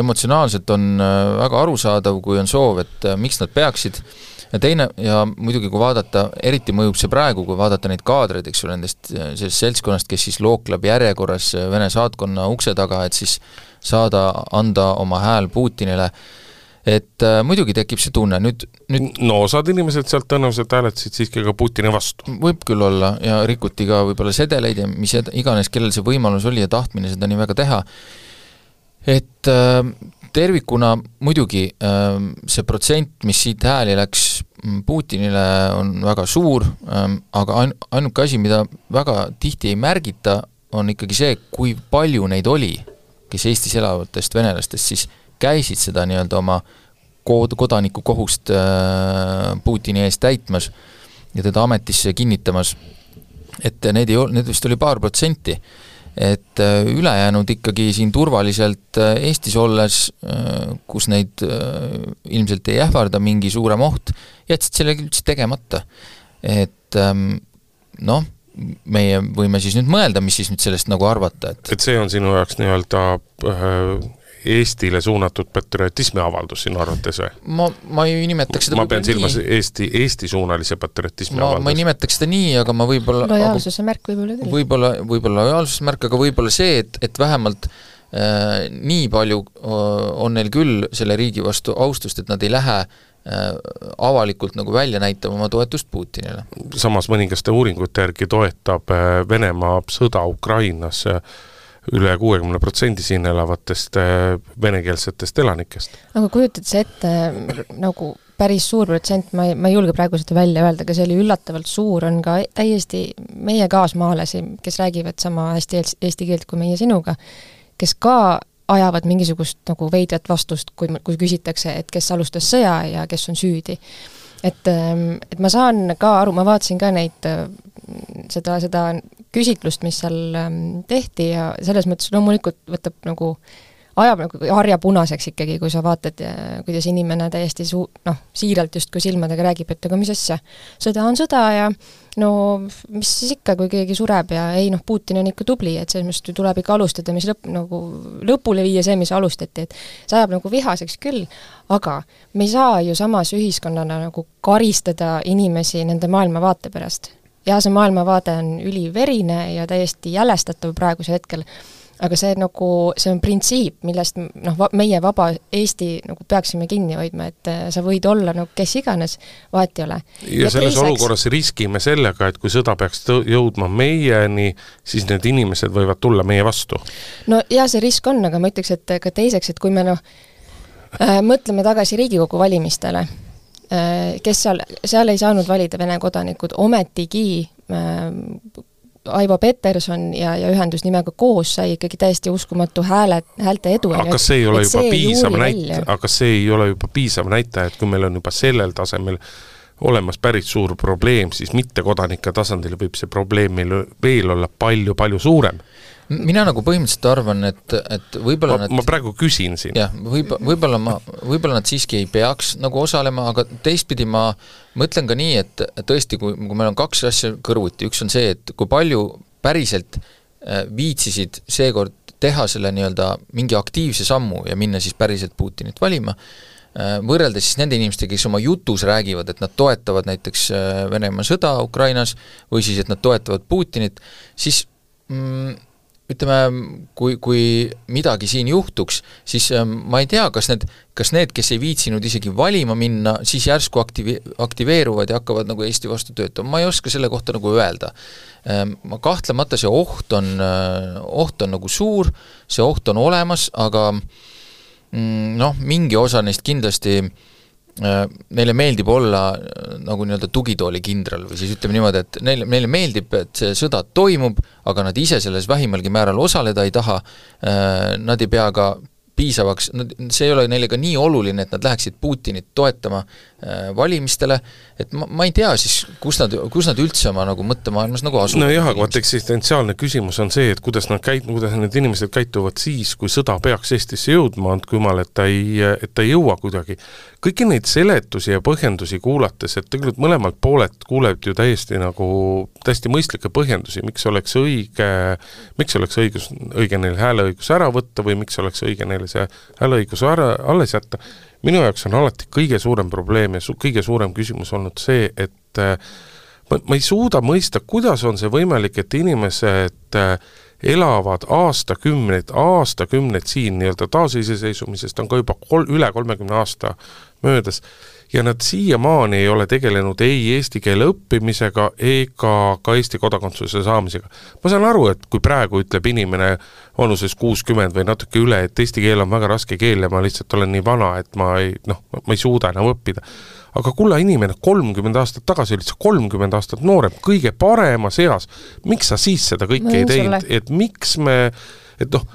Speaker 4: emotsionaalselt on väga arusaadav, kui on soov, et äh, miks nad peaksid. Ja teine, ja muidugi kui vaadata, eriti mõjub see praegu, kui vaadata neid kaadreid, eks ole, nendest sellest seltskonnast, kes siis lookleb järjekorras Vene saatkonna ukse taga, et siis saada, anda oma hääl Putinile, et äh, muidugi tekib see tunne, nüüd, nüüd
Speaker 3: no osad inimesed sealt tõenäoliselt hääletasid siiski ka Putini vastu.
Speaker 4: Võib küll olla, ja rikuti ka võib-olla sedeleid ja mis iganes, kellel see võimalus oli ja tahtmine seda nii väga teha, et äh, tervikuna muidugi äh, see protsent, mis siit hääli läks Putinile, on väga suur, äh, aga ain-, ainuke asi, mida väga tihti ei märgita, on ikkagi see, kui palju neid oli, kes Eestis elavatest venelastest siis käisid seda nii-öelda oma kod- kodaniku kohust äh, Putini eest täitmas ja teda ametisse kinnitamas, et need, ei, need vist oli paar protsenti, et ülejäänud ikkagi siin turvaliselt Eestis olles, kus neid ilmselt ei ähvarda mingi suurem oht, jätsid selle üldse tegemata. Et noh, meie võime siis nüüd mõelda, mis siis nüüd sellest nagu arvata. Et,
Speaker 3: et see on sinu jaoks nii-öelda Eestile suunatud patriotismi avaldus sinu arvates või?
Speaker 4: Ma, ma ei nimetaks seda
Speaker 3: ma pean silmas Eesti, Eesti suunalise patriotismi
Speaker 4: ma,
Speaker 3: avaldus.
Speaker 4: Ma ei nimetaks seda nii, aga ma võib-olla
Speaker 2: lojaalsuse märk võib-olla küll.
Speaker 4: Võib-olla, võib-olla lojaalsuse märk, aga võib-olla see, et, et vähemalt äh, nii palju on neil küll selle riigi vastu austust, et nad ei lähe äh, avalikult nagu välja näitama oma toetust Putinile.
Speaker 3: Samas mõningaste uuringute järgi toetab Venemaa sõda Ukrainas üle kuuekümne protsendi siin elavatest venekeelsetest elanikest.
Speaker 2: Aga kujutad see ette nagu päris suur protsent, ma ei, ma ei julge praegu seda välja öelda, aga see oli üllatavalt suur, on ka täiesti meie kaasmaalasi, kes räägivad sama hästi eesti keelt kui meie sinuga, kes ka ajavad mingisugust nagu veidrat vastust, kui, kui küsitakse, et kes alustas sõja ja kes on süüdi. Et, et ma saan ka aru, ma vaatasin ka neid seda, seda küsitlust, mis seal tehti ja selles mõttes loomulikult võtab nagu, ajab nagu harja punaseks ikkagi, kui sa vaatad, kuidas inimene täiesti suu, noh, siiralt just kui silmadega räägib, et aga mis asja, sõda on sõda ja no mis siis ikka, kui keegi sureb ja ei noh, Putin on ikka tubli, et selles mõttes tuleb ikka alustada, mis lõpp, nagu lõpule viia see, mis alustati, et see ajab nagu vihaseks küll, aga me ei saa ju samas ühiskonnana nagu karistada inimesi nende maailmavaate pärast. Ja see maailmavaade on üliverine ja täiesti jälestatav praeguse hetkel, aga see, nagu, see on printsiip, millest noh, meie vaba Eesti nagu peaksime kinni hoidma, et sa võid olla nagu kes iganes, vahet ei ole.
Speaker 3: Ja, ja selles teiseks olukorras riskime sellega, et kui sõda peaks jõudma meieni, siis need inimesed võivad tulla meie vastu.
Speaker 2: No ja see risk on, aga ma ütleks, et ka teiseks, et kui me noh, äh, mõtleme tagasi Riigikogu valimistele, kes seal, seal ei saanud valida Vene kodanikud, ometigi äh, Aivo Peterson ja, ja ühendus nimega koos sai ikkagi täiesti uskumatu hääle, häälte edu.
Speaker 3: Aga kas see ei ole juba piisav näite, aga see ei ole juba piisav näite, et kui meil on juba sellel tasemel olemas päris suur probleem, siis mittekodanike tasandil võib see probleem meil veel olla palju-palju suurem.
Speaker 4: Mina nagu põhimõtteliselt arvan, et, et võib-olla
Speaker 3: ma,
Speaker 4: nad,
Speaker 3: ma praegu küsin siin.
Speaker 4: Jah, võib, võib-olla, ma, võib-olla nad siiski ei peaks nagu osalema, aga teistpidi ma mõtlen ka nii, et tõesti, kui, kui meil on kaks asja kõrvuti, üks on see, et kui palju päriselt viitsisid seekord teha selle nii-öelda mingi aktiivse sammu ja minna siis päriselt Putinit valima, võrreldes siis nende inimestega, kes oma jutus räägivad, et nad toetavad näiteks Venemaa sõda Ukrainas või siis, et nad toetavad Putinit, siis mm, ütleme, kui, kui midagi siin juhtuks, siis ma ei tea, kas need, kas need, kes ei viitsinud isegi valima minna, siis järsku aktivi-, aktiveeruvad ja hakkavad nagu Eesti vastu töötama. Ma ei oska selle kohta nagu öelda. Ma kahtlemata see oht on, oht on nagu suur, see oht on olemas, aga noh, mingi osa neist kindlasti neile meeldib olla nagu nii-öelda tugitooli kindral või siis ütleme niimoodi, et neile, neile meeldib, et see sõda toimub, aga nad ise selles vähimalgi määral osaleda ei taha, nad ei pea ka piisavaks, see ei ole neile ka nii oluline, et nad läheksid Putinit toetama valimistele, et ma, ma ei tea siis, kus nad, kus nad üldse oma nagu mõttemaailmas nagu asuvad.
Speaker 3: No jah, aga vaat eksistentsiaalne küsimus on see, et kuidas nad käit-, kuidas need inimesed käituvad siis, kui sõda peaks Eestisse jõudma, andku jumal, et ta ei, et ta ei jõua kuidagi. Kõiki neid seletusi ja põhjendusi kuulates, et tegelikult mõlemalt poolelt kuuleb ju täiesti nagu täiesti mõistlikke põhjendusi, miks oleks õige, miks oleks õigus, õige neil hääleõigus ära võtta või miks oleks õige neil see hääleõigus ära, alles jätta. Minu jaoks on alati kõige suurem probleem ja su- kõige suurem küsimus olnud see, et ma, ma ei suuda mõista, kuidas on see võimalik, et inimesed elavad aastakümneid, aastakümneid siin nii-öelda taasiseseisumisest on ka juba kol, üle kolmekümne aasta möödas ja nad siiamaani ei ole tegelenud ei eesti keele õppimisega ega ka Eesti kodakondsuse saamisega. Ma saan aru, et kui praegu ütleb inimene vanuses kuuskümmend või natuke üle, et eesti keel on väga raske keel ja ma lihtsalt olen nii vana, et ma ei, noh, ma ei suuda enam õppida. Aga kulla inimene kolmkümmend aastat tagasi oli kolmkümmend aastat noorem, kõige parema seas. Miks sa siis seda kõike ei teinud? Et miks me, et noh,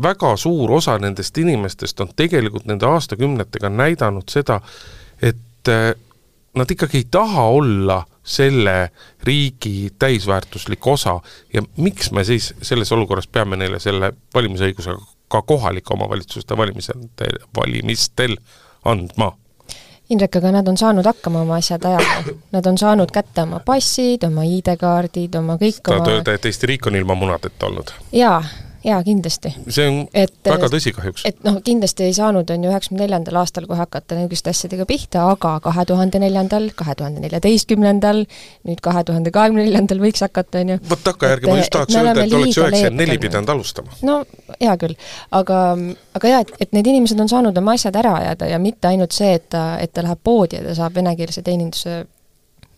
Speaker 3: väga suur osa nendest inimestest on tegelikult nende aastakümnetega näidanud seda, et nad ikkagi ei taha olla selle riigi täisväärtuslik osa ja miks me siis selles olukorras peame neile selle valimisõigusega ka kohalike omavalitsuste valimistel, valimistel andma?
Speaker 2: Indrek, aga nad on saanud hakkama oma asjad ajada. Nad on saanud kätte oma passid, oma I D-kaardid, oma kõik oma...
Speaker 3: Tahad öelda, et Eesti riik on ilma munadeta olnud?
Speaker 2: Jaa, jaa, kindlasti.
Speaker 3: See on et, väga tõsi kahjuks.
Speaker 2: Et noh, kindlasti ei saanud on ju üheksakümne neljandal aastal, kui hakata niisuguste asjadega pihta, aga kahe tuhande neljandal, kahe tuhande neljateistkümnendal, nüüd kahe tuhande kahekümne neljandal võiks hakata, on ju.
Speaker 3: Võt takka järgi, ma just tahaks öelda, et oleks üheksakümmend neli pidanud alustama.
Speaker 2: No, hea küll. Aga, aga jah, et, et need inimesed on saanud oma asjad ära ajada ja mitte ainult see, et ta, et ta läheb poodi ja ta saab venekeelse teeninduse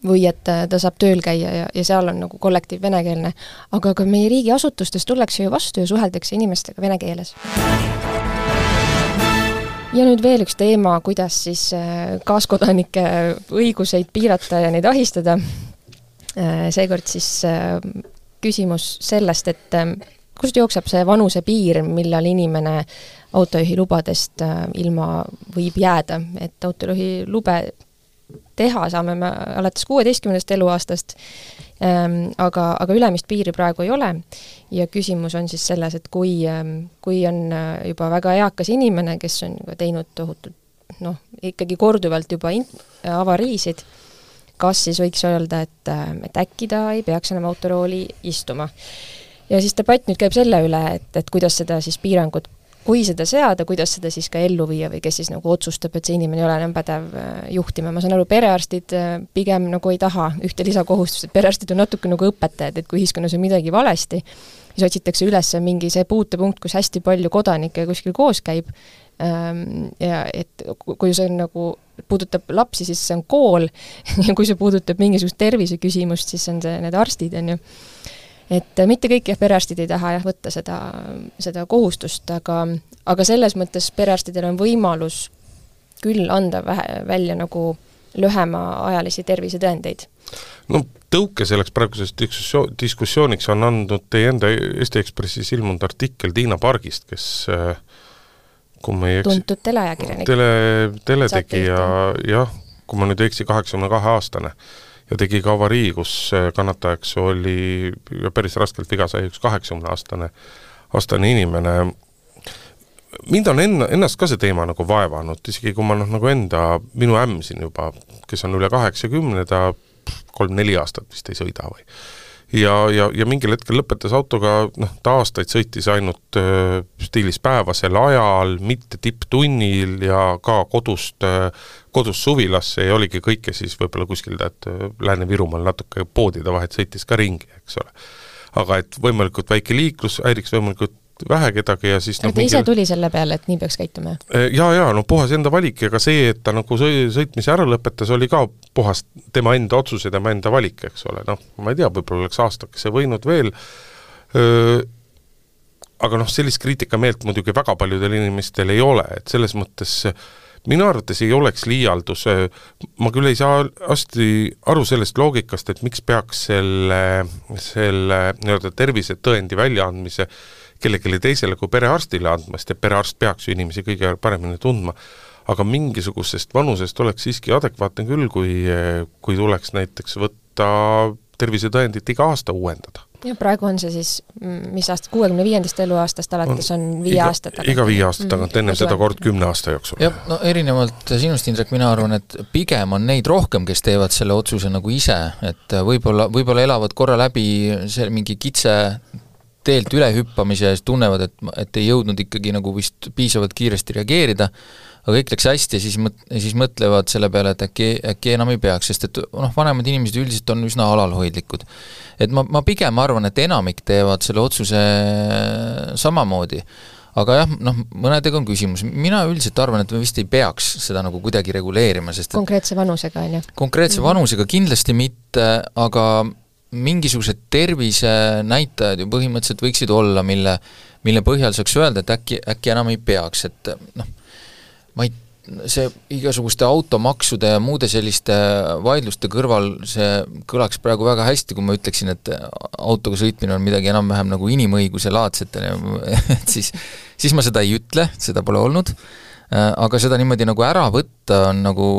Speaker 2: või et ta saab tööl käia ja, ja seal on nagu kollektiiv venekeelne. Aga ka meie riigi asutustes tullakse ju vastu ja suheldakse inimestega vene keeles. Ja nüüd veel üks teema, kuidas siis kaaskodanike õiguseid piirata ja neid ahistada. Seekord siis küsimus sellest, et kust jookseb see vanuse piir, millal inimene autojuhi lubadest ilma võib jääda, et autojuhi lube teha saame me alates kuueteistkümnendast eluaastast, ähm, aga, aga ülemist piiri praegu ei ole ja küsimus on siis selles, et kui, ähm, kui on juba väga eakas inimene, kes on teinud tohutult, noh, ikkagi korduvalt juba in- avariisid, kas siis võiks öelda, et, et äkki ta ei peaks enam autorooli istuma. Ja siis debatt nüüd käib selle üle, et, et kuidas seda siis piirangut kui seda seada, kuidas seda siis ka ellu viia või kes siis nagu otsustab, et see inimene ei ole enam pädev juhtima. Ma saan aru, perearstid pigem nagu ei taha ühte lisakohustust, et perearstid on natuke nagu õpetajad, et kui ühiskonnas on midagi valesti, siis otsitakse üles mingi see puutepunkt, kus hästi palju kodanikke kuskil koos käib ja et kui see on nagu puudutab lapsi, siis see on kool ja kui see puudutab mingisugust tervise küsimust, siis on see need arstid, on ju. Et mitte kõik jah, perearstid ei taha jah, võtta seda, seda kohustust, aga, aga selles mõttes perearstidel on võimalus küll anda vähe, välja nagu lühema ajalisi tervisetõendeid.
Speaker 3: No tõuke selleks praegusest diskussiooniks on andnud teie enda Eesti Ekspressis ilmunud artikkel Tiina Pargist, kes kui ma ei eksi,
Speaker 2: tuntud teleajakirjanik.
Speaker 3: Tele, teletegija, jah, kui ma nüüd eksi kaheksakümne kahe aastane ja tegi ka avarii, kus kannatajaks oli päris raskelt viga sai üks kaheksakümne aastane aastane inimene. Mind on enna, ennast ka see teema nagu vaevanud, isegi kui ma noh, nagu enda, minu ämm siin juba, kes on üle kaheksakümne, ta kolm-neli aastat vist ei sõida või. Ja, ja, ja mingil hetkel lõpetas autoga, noh, ta aastaid sõitis ainult äh, stiilis päevasel ajal, mitte tipptunnil ja ka kodust, äh, kodust suvilasse ja oligi kõike siis võib-olla kuskil, et Lääne-Virumaal natuke poodide vahet sõitis ka ringi, eks ole. aga et võimalikult väike liiklus, häiriks võimalikult vähe kedagi ja siis
Speaker 2: no, ta ise tuli selle peale, et nii peaks käituma?
Speaker 3: Jaa, jaa, no puhas enda valik ja ka see, et ta nagu sõitmise ära lõpetas, oli ka puhas tema enda otsus ja tema enda valik, eks ole, noh, ma ei tea, võib-olla oleks aastakese võinud veel, öö, aga noh, sellist kriitikameelt muidugi väga paljudel inimestel ei ole, et selles mõttes minu arvates ei oleks liialdus, ma küll ei saa hästi aru sellest loogikast, et miks peaks selle, selle nii-öelda tervisetõendi väljaandmise kellelegi teisele kui perearstile andmast ja perearst peaks ju inimesi kõige paremini tundma, aga mingisugusest vanusest oleks siiski adekvaatne küll, kui, kui tuleks näiteks võtta tervisetõendit iga aasta uuendada.
Speaker 2: Ja praegu on see siis, mis aasta, kuuekümne viiendast eluaastast alates on viie
Speaker 3: iga,
Speaker 2: aasta tagant.
Speaker 3: Iga viie aasta tagant, mm, enne seda kord kümne aasta jooksul.
Speaker 4: Jah, no erinevalt sinust, Indrek, mina arvan, et pigem on neid rohkem, kes teevad selle otsuse nagu ise, et võib-olla, võib-olla elavad korra läbi see mingi kitse teelt ülehüppamise ja tunnevad, et, et ei jõudnud ikkagi nagu vist piisavalt kiiresti reageerida, aga kõik läks hästi ja siis, mõt- siis mõtlevad selle peale, et äkki, äkki enam ei peaks, sest et noh, vanemad inimesed üldiselt on üsna alalhoidlikud. Et ma, ma pigem arvan, et enamik teevad selle otsuse samamoodi, aga jah, noh, mõnedega on küsimus. Mina üldiselt arvan, et me vist ei peaks seda nagu kuidagi reguleerima, sest et
Speaker 2: konkreetse vanusega, on ju?
Speaker 4: Konkreetse mm-hmm. vanusega kindlasti mitte, aga mingisugused tervisenäitajad ju põhimõtteliselt võiksid olla, mille, mille põhjal saaks öelda, et äkki, äkki enam ei peaks, et noh, ma ei, see igasuguste automaksude ja muude selliste vaidluste kõrval see kõlaks praegu väga hästi, kui ma ütleksin, et autoga sõitmine on midagi enam-vähem nagu inimõiguse laadset, et siis, siis ma seda ei ütle, seda pole olnud, aga seda niimoodi nagu ära võtta on nagu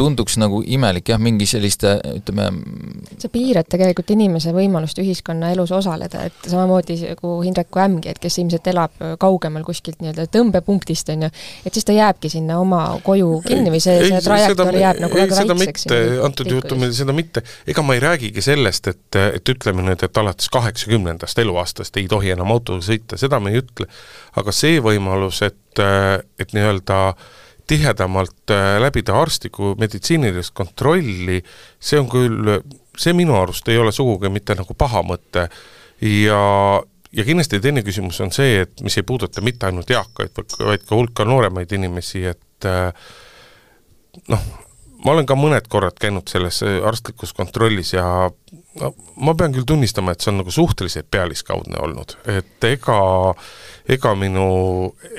Speaker 4: tunduks nagu imelik, jah, mingi selliste, ütleme...
Speaker 2: See piirad tegelikult inimese võimalust ühiskonna elus osaleda, et samamoodi nagu Hindreku ämgi, et kes ilmselt elab kaugemal kuskilt nii-öelda tõmbepunktist, on ju, et siis ta jääbki sinna oma koju kinni või see, ei, see trajektoor jääb nagu
Speaker 3: ei,
Speaker 2: väga
Speaker 3: seda
Speaker 2: väikseks.
Speaker 3: Mitte, antud juhtumil seda mitte. Ega ma ei räägigi sellest, et, et ütleme nüüd, et alates kaheksakümnendast eluaastast ei tohi enam autoga sõita, seda me ei ütle, aga see võimalus, et, et nii-öelda tihedamalt läbida arstliku meditsiinilist kontrolli, see on küll, see minu arust ei ole sugugi mitte nagu paha mõte ja, ja kindlasti teine küsimus on see, et mis ei puuduta mitte ainult eakaid, vaid ka hulka nooremaid inimesi, et noh, ma olen ka mõned korrad käinud selles arstlikus kontrollis ja no, ma pean küll tunnistama, et see on nagu suhteliselt pealiskaudne olnud, et ega ega minu,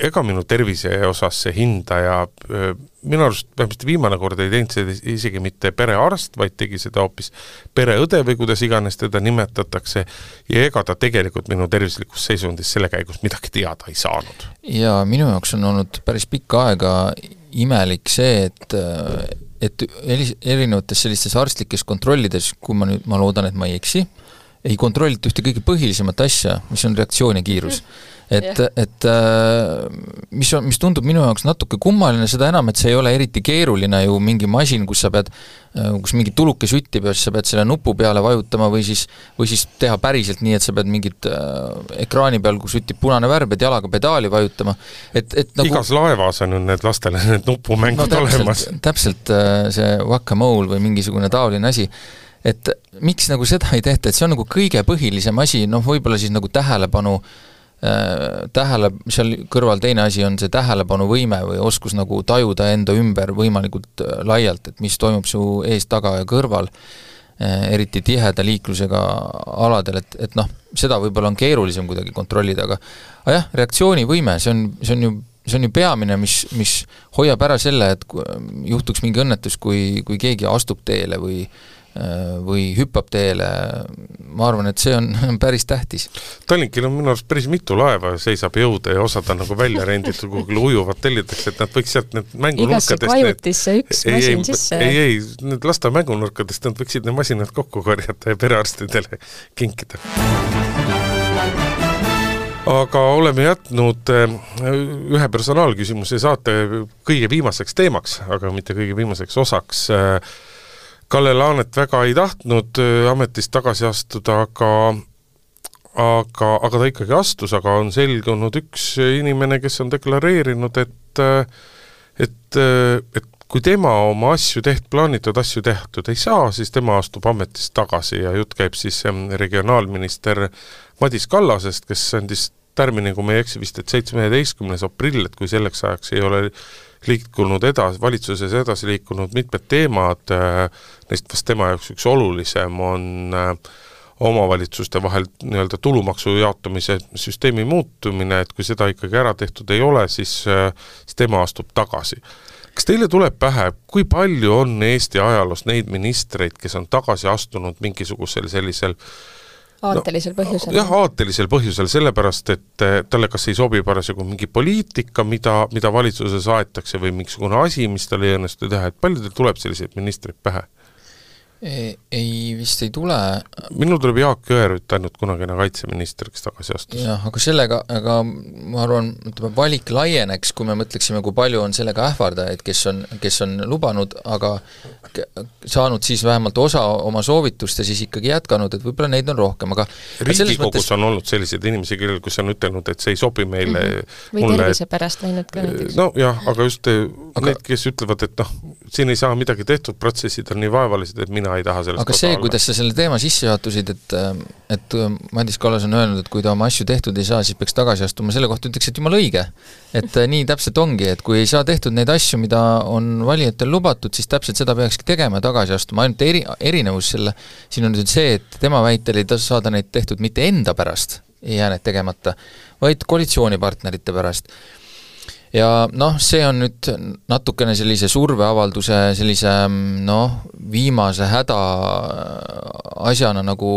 Speaker 3: ega minu tervise osas see hindaja, minu arust vähemasti viimane kord ei teinud seda isegi mitte perearst, vaid tegi seda hoopis pereõde või kuidas iganes teda nimetatakse ja ega ta tegelikult minu tervislikus seisundis selle käigus midagi teada ei saanud.
Speaker 4: Ja minu jaoks on olnud päris pikka aega imelik see, et et erinevates sellistes arstlikes kontrollides, kui ma nüüd, ma loodan, et ma ei eksi, ei kontrollita ühte kõige põhilisemat asja, mis on reaktsioonikiirus. Et, et mis, on, mis tundub minu jaoks natuke kummaline, seda enam, et see ei ole eriti keeruline ju mingi masin, kus sa pead, kus mingi tuluke süttib ja siis sa pead selle nupu peale vajutama või siis, või siis teha päriselt nii, et sa pead mingit ekraani peal, kus süttib punane värv, et jalaga pedaali vajutama. Et, et nagu,
Speaker 3: igas laevas on need lastele need nupumängud no, täpselt, olemas.
Speaker 4: Täpselt see whack-a-mole või mingisugune taoline asi. Et miks nagu seda ei tehta, et see on nagu kõige põhilisem asi, noh võib-olla siis nagu tähelepanu tähele, seal kõrval teine asi on see tähelepanuvõime või oskus nagu tajuda enda ümber võimalikult laialt, et mis toimub su ees, taga ja kõrval, eriti tiheda liiklusega aladel, et, et noh, seda võib-olla on keerulisem kuidagi kontrollida, aga, aga jah, reaktsioonivõime, see on, see on ju see on ju peamine, mis, mis hoiab ära selle, et juhtuks mingi õnnetus, kui, kui keegi astub teele või või hüppab teele, ma arvan, et see on päris tähtis.
Speaker 3: Tallinkil on minu arust päris mitu laeva seisab jõuda ja osad on nagu välja renditud, kuhugil ujuvad tellitakse, et nad võiks sealt need mängunurkadest
Speaker 2: igasse kvajutisse üks
Speaker 3: ei,
Speaker 2: masin
Speaker 3: ei,
Speaker 2: sisse.
Speaker 3: Ei, ei, need lasta mängunurkadest nad võiksid need masinad kokku korjata ja perearstidele kinkida. Aga oleme jätnud ühe personaalküsimuse saate kõige viimaseks teemaks, aga mitte kõige viimaseks osaks. Kalle Laanet väga ei tahtnud ametist tagasi astuda, aga, aga, aga ta ikkagi astus, aga on selgunud üks inimene, kes on deklareerinud, et, et, et kui tema oma asju teht, plaanitud asju tehtud ei saa, siis tema astub ametist tagasi ja jutt käib siis regionaalminister Madis Kallasest, kes andis tärmini, kui me ei eksi vist, et seitsmeteistkümnes aprill, et kui selleks ajaks ei ole liikunud edasi, valitsuses edasi liikunud mitmed teemad, neist vast tema jaoks üks olulisem on omavalitsuste vahel nii-öelda tulumaksu jaotamise süsteemi muutumine, et kui seda ikkagi ära tehtud ei ole, siis, siis tema astub tagasi. Kas teile tuleb pähe, kui palju on Eesti ajaloos neid ministreid, kes on tagasi astunud mingisugusel sellisel
Speaker 2: aatelisel põhjusel.
Speaker 3: No, jah, aatelisel põhjusel, sellepärast, et talle kas ei sobi parasjagu mingi poliitika, mida, mida valitsuses aetakse või mingisugune asi, mis talle ei õnnestu teha, et palju teil tuleb selliseid ministreid pähe?
Speaker 4: Ei, ei vist ei tule.
Speaker 3: Minul tuleb Jaak Jõerüüt ainult kunagine kaitseminister, kes tagasi astus.
Speaker 4: Jah, aga sellega, aga ma arvan, ütleme, valik laieneks, kui me mõtleksime, kui palju on sellega ähvardajaid, kes on, kes on lubanud, aga saanud siis vähemalt osa oma soovitust ja siis ikkagi jätkanud, et võib-olla neid on rohkem, aga
Speaker 3: Riigikogus mõttes... on olnud selliseid inimesi, kellel, kus on ütelnud, et see ei sobi meile mm -hmm.
Speaker 2: või
Speaker 3: mulle,
Speaker 2: tervise pärast läinud ka näiteks.
Speaker 3: No jah, aga just aga... need, kes ütlevad, et noh, siin ei saa midagi tehtud, protsessid on nii vaevalised, et mina ei taha sellest
Speaker 4: aga see, kuidas sa selle teema sisse juhatusid, et, et Madis Kallas on öelnud, et kui ta oma asju tehtud ei saa, siis peaks tagasi astuma, selle kohta ütleks, et jumal õige. Et nii täpselt ongi, et kui ei saa tehtud neid asju, mida on valijatel lubatud, siis täpselt seda peakski tegema ja tagasi astuma. Ainult eri, erinevus selle, siin on see, et tema väitel ei tasu saada neid tehtud mitte enda pärast, ei jää need tegemata, vaid koalitsioonipartnerite pärast. Ja noh, see on nüüd natukene sellise surveavalduse, sellise noh, viimase häda asjana nagu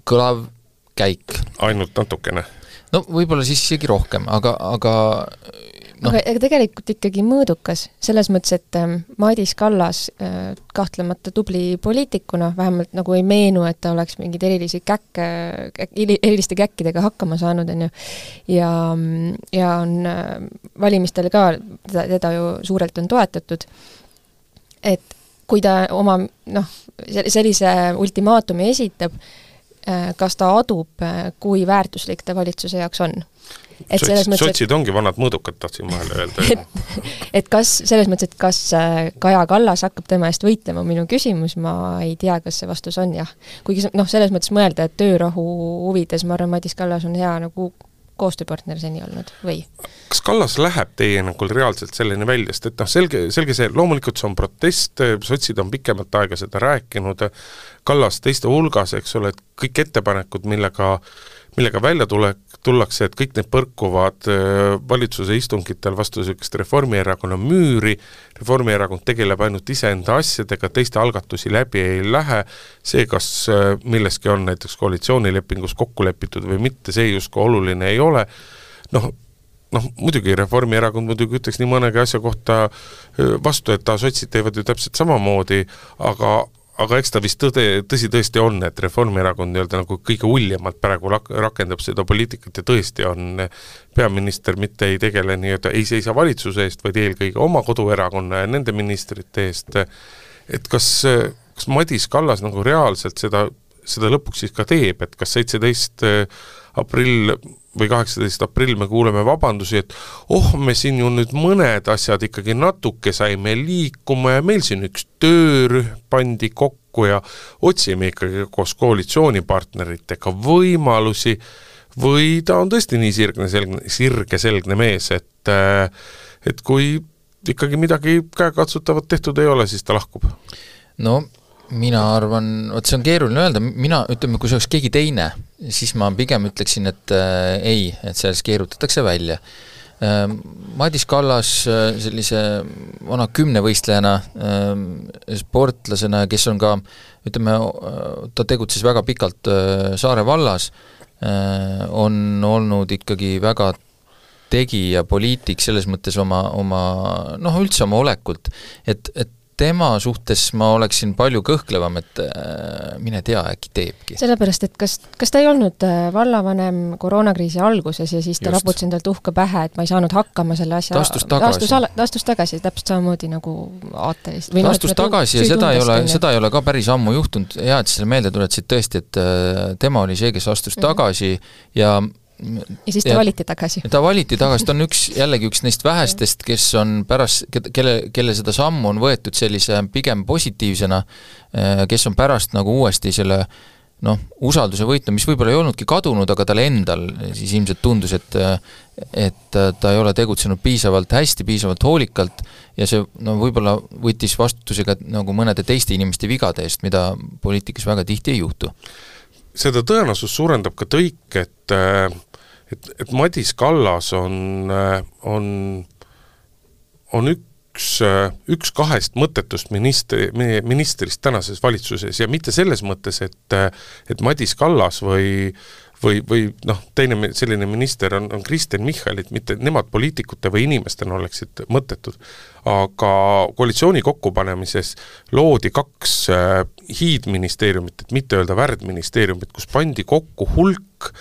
Speaker 4: kõlav käik.
Speaker 3: Ainult natukene?
Speaker 4: No võib-olla siis isegi rohkem, aga, aga
Speaker 2: no. Aga, aga tegelikult ikkagi mõõdukas, selles mõttes, et Madis Kallas kahtlemata tubli poliitikuna, vähemalt nagu ei meenu, et ta oleks mingid erilisi käkke, eriliste käkkidega hakkama saanud, on ju. Ja, ja on valimistel ka teda, teda ju suurelt on toetatud, et kui ta oma noh, sellise ultimaatumi esitab, kas ta adub, kui väärtuslik ta valitsuse jaoks on.
Speaker 3: Et Sots, mõttes, sotsid ongi vanad mõõdukad, tahtsin vahele öelda.
Speaker 2: Et, et kas, selles mõttes, et kas Kaja Kallas hakkab tema eest võitlema, minu küsimus, ma ei tea, kas see vastus on jah. Kuigi noh, selles mõttes mõelda, et töörahu huvides, ma arvan, Madis Kallas on hea nagu koostööpartner seni olnud, või?
Speaker 3: Kas Kallas läheb teie nagu reaalselt selleni väljast, et noh, selge, selge see, loomulikult see on protest, sotsid on pikemat aega seda rääkinud, Kallas teiste hulgas, eks ole, et kõik ettepanekud, millega, millega välja tule, tullakse, et kõik need põrkuvad valitsuse istungitel vastu sellist Reformierakonna müüri, Reformierakond tegeleb ainult iseenda asjadega, teiste algatusi läbi ei lähe, see, kas milleski on näiteks koalitsioonilepingus kokku lepitud või mitte, see justkui oluline ei ole, noh, noh, muidugi Reformierakond muidugi ütleks nii mõnegi asja kohta vastu, et ta sotsid teevad ju täpselt samamoodi, aga aga eks ta vist tõde, tõsi tõesti on, et Reformierakond nii-öelda nagu kõige uljemalt praegu rakendab seda poliitikat ja tõesti on peaminister mitte ei tegele nii-öelda, ei seisa valitsuse eest, vaid eelkõige oma koduerakonna ja nende ministrite eest. Et kas, kas Madis Kallas nagu reaalselt seda, seda lõpuks siis ka teeb, et kas seitseteist aprill või kaheksateist aprill me kuuleme vabandusi, et oh, me siin ju nüüd mõned asjad ikkagi natuke saime liikuma ja meil siin üks töörühm pandi kokku ja otsime ikkagi koos koalitsioonipartneritega võimalusi või ta on tõesti nii sirgne selgne, sirge selgne mees, et, et kui ikkagi midagi käekatsutavat tehtud ei ole, siis ta lahkub.
Speaker 4: No mina arvan, et see on keeruline öelda, mina ütleme, kui see oleks keegi teine, siis ma pigem ütleksin, et äh, ei, et sellest keerutatakse välja. Äh, Madis Kallas äh, sellise vana kümnevõistlejana, äh, sportlasena, kes on ka, ütleme, ta tegutses väga pikalt äh, Saare vallas, äh, on olnud ikkagi väga tegija poliitik selles mõttes oma, oma noh, üldse oma olekult, et, et tema suhtes ma oleksin palju kõhklevam, et äh, mine tea, äkki teebki.
Speaker 2: Sellepärast, et kas, kas ta ei olnud vallavanem koroonakriisi alguses ja siis ta raputas endalt uhka pähe, et ma ei saanud hakkama selle asja...
Speaker 4: Ta astus tagasi.
Speaker 2: Ta astus, astus tagasi, täpselt samamoodi nagu aatelist.
Speaker 4: Ta astus no, tagasi ja seda ei, ole, seda ei ole ka päris ammu juhtunud. Hea, et selle meelde tuletsid tõesti, et äh, tema oli see, kes astus mm-hmm. tagasi ja
Speaker 2: ja siis ta ja, valiti tagasi.
Speaker 4: ta valiti tagasi, ta on üks, jällegi üks neist vähestest, kes on pärast, kelle, kelle seda sammu on võetud sellise pigem positiivsena, kes on pärast nagu uuesti selle noh, usalduse võitnu, mis võib-olla ei olnudki kadunud, aga tal endal siis ilmselt tundus, et et ta ei ole tegutsenud piisavalt hästi, piisavalt hoolikalt ja see no, võib-olla võttis vastutusega nagu mõnede teiste inimeste vigade eest, mida poliitikas väga tihti ei juhtu.
Speaker 3: Seda tõenäosus suurendab ka tõik, et, et, et Madis Kallas on, on, on üks Üks, üks kahest mõttetust ministri, ministrist tänases valitsuses ja mitte selles mõttes, et, et Madis Kallas või, või, või noh, teine selline minister on, on Kristen Michalit, mitte nemad poliitikute või inimestena oleksid mõttetud, aga koalitsiooni kokkupanemises loodi kaks hiidministeeriumit, et mitte öelda värdministeeriumit, kus pandi kokku hulk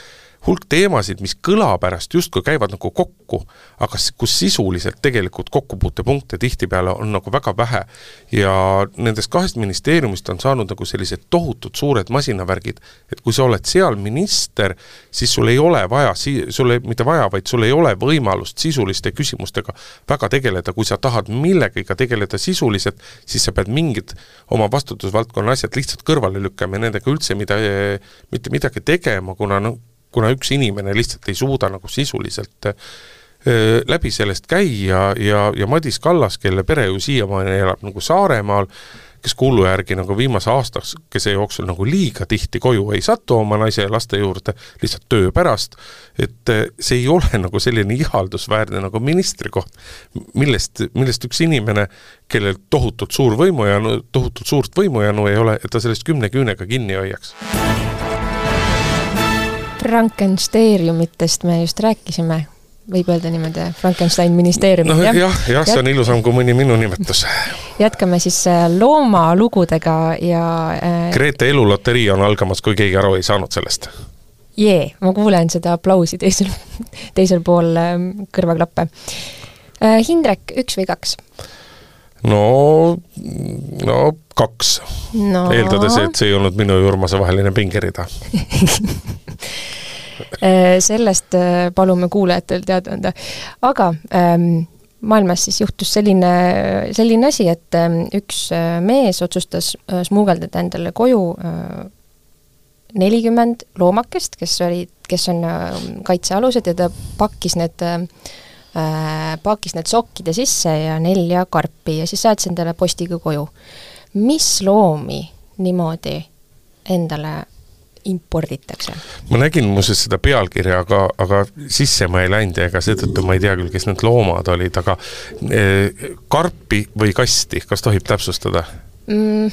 Speaker 3: hulk teemasid, mis kõla pärast justkui käivad nagu kokku, aga kus sisuliselt tegelikult kokkupuutepunkte tihtipeale on nagu väga vähe ja nendest kahest ministeeriumist on saanud nagu sellised tohutud suured masinavärgid, et kui sa oled seal minister, siis sul ei ole vaja, sul ei, mitte vaja, vaid sul ei ole võimalust sisuliste küsimustega väga tegeleda, kui sa tahad millegagi tegeleda sisuliselt, siis sa pead mingid oma vastutusvaldkonna asjad lihtsalt kõrvale lükkama ja nendega üldse mida, mitte midagi tegema, kuna no, kuna üks inimene lihtsalt ei suuda nagu sisuliselt öö, läbi sellest käia ja, ja Madis Kallas, kelle pere ju siiamaani elab nagu Saaremaal, kes kuulu järgi nagu viimase aastaks, kes ei jooksul nagu liiga tihti koju ei satu oma naise ja laste juurde, lihtsalt töö pärast, et see ei ole nagu selline ihaldusväärne nagu ministri koht, millest, millest üks inimene, kellel tohutult suur võimujanu, tohutult suurt võimujanu ei ole, et ta sellest kümne küünega kinni hoiaks.
Speaker 2: Frankensteeriumitest me just rääkisime, võib öelda niimoodi Frankenstein ministeeriumit.
Speaker 3: No, jah, jah, jah, see on ilusam kui mõni minu nimetus.
Speaker 2: Jätkame siis loomalugudega ja...
Speaker 3: Grete eluloterii on algamas, kui keegi aru ei saanud sellest.
Speaker 2: Jee, ma kuulen seda aplausi teisel, teisel pool kõrvaklappe. Hindrek, üks või kaks?
Speaker 3: No, no kaks. No. Eeldades, et see ei olnud minu ja Urmase vaheline pingerida.
Speaker 2: Sellest palume kuulajatel teada anda. Aga ähm, maailmas siis juhtus selline, selline asi, et ähm, üks mees otsustas äh, smuugeldada endale koju äh, nelikümmend loomakest, kes, oli, kes on äh, kaitsealused ja ta pakkis need äh, pakkis need sokkide sisse ja nelja karpi ja siis saatis endale postiga koju. Mis loomi niimoodi endale imporditakse?
Speaker 3: Ma nägin muuseas seda pealkirja, aga, aga sisse ma ei läinud ja ega seetõttu ma ei tea küll, kes need loomad olid, aga eh, karpi või kasti, kas tohib täpsustada?
Speaker 2: Mm.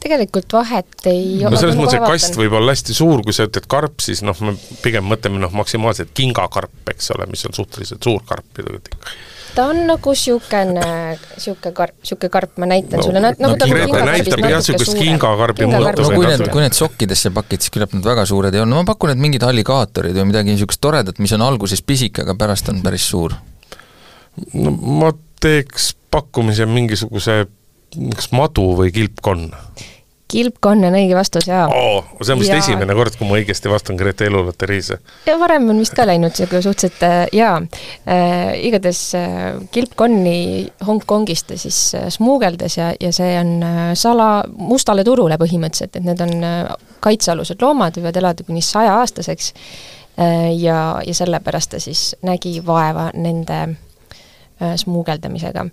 Speaker 2: Tegelikult vahet ei
Speaker 3: no selles mõttes, et kast võib olla hästi suur, kui sa ütled karp, siis noh, me pigem mõtleme noh, maksimaalselt kingakarp, eks ole, mis on suhteliselt suur karp.
Speaker 2: Ta on nagu siukene, siuke karp, siuke karp, ma näitan no, sulle. Nagu
Speaker 3: no, Grete näitab jah siukest kingakarpi
Speaker 4: mõttes. No, kui, need, kui need sokkidesse pakid, siis küllap need väga suured ei ole. No, ma pakun, et mingid alligaatorid või midagi siukest toredat, mis on alguses pisik, aga pärast on päris suur.
Speaker 3: No, ma teeks pakkumise mingisuguse kas madu või kilpkonn.
Speaker 2: Kilpkonn on õige vastus, jaa.
Speaker 3: Oo, see on vist ja... esimene kord, kui ma õigesti vastan Grete eluloteriise.
Speaker 2: Ja varem on vist ka läinud see, kui suhteliselt, jaa, äh, igades äh, kilpkonni Hongkongist siis äh, smuugeldes ja, ja see on äh, sala mustale turule põhimõtteliselt, et need on äh, kaitsealused loomad, võivad elada kuni saja aastaseks äh, ja, ja sellepärast ta siis nägi vaeva nende smuugeldamisega.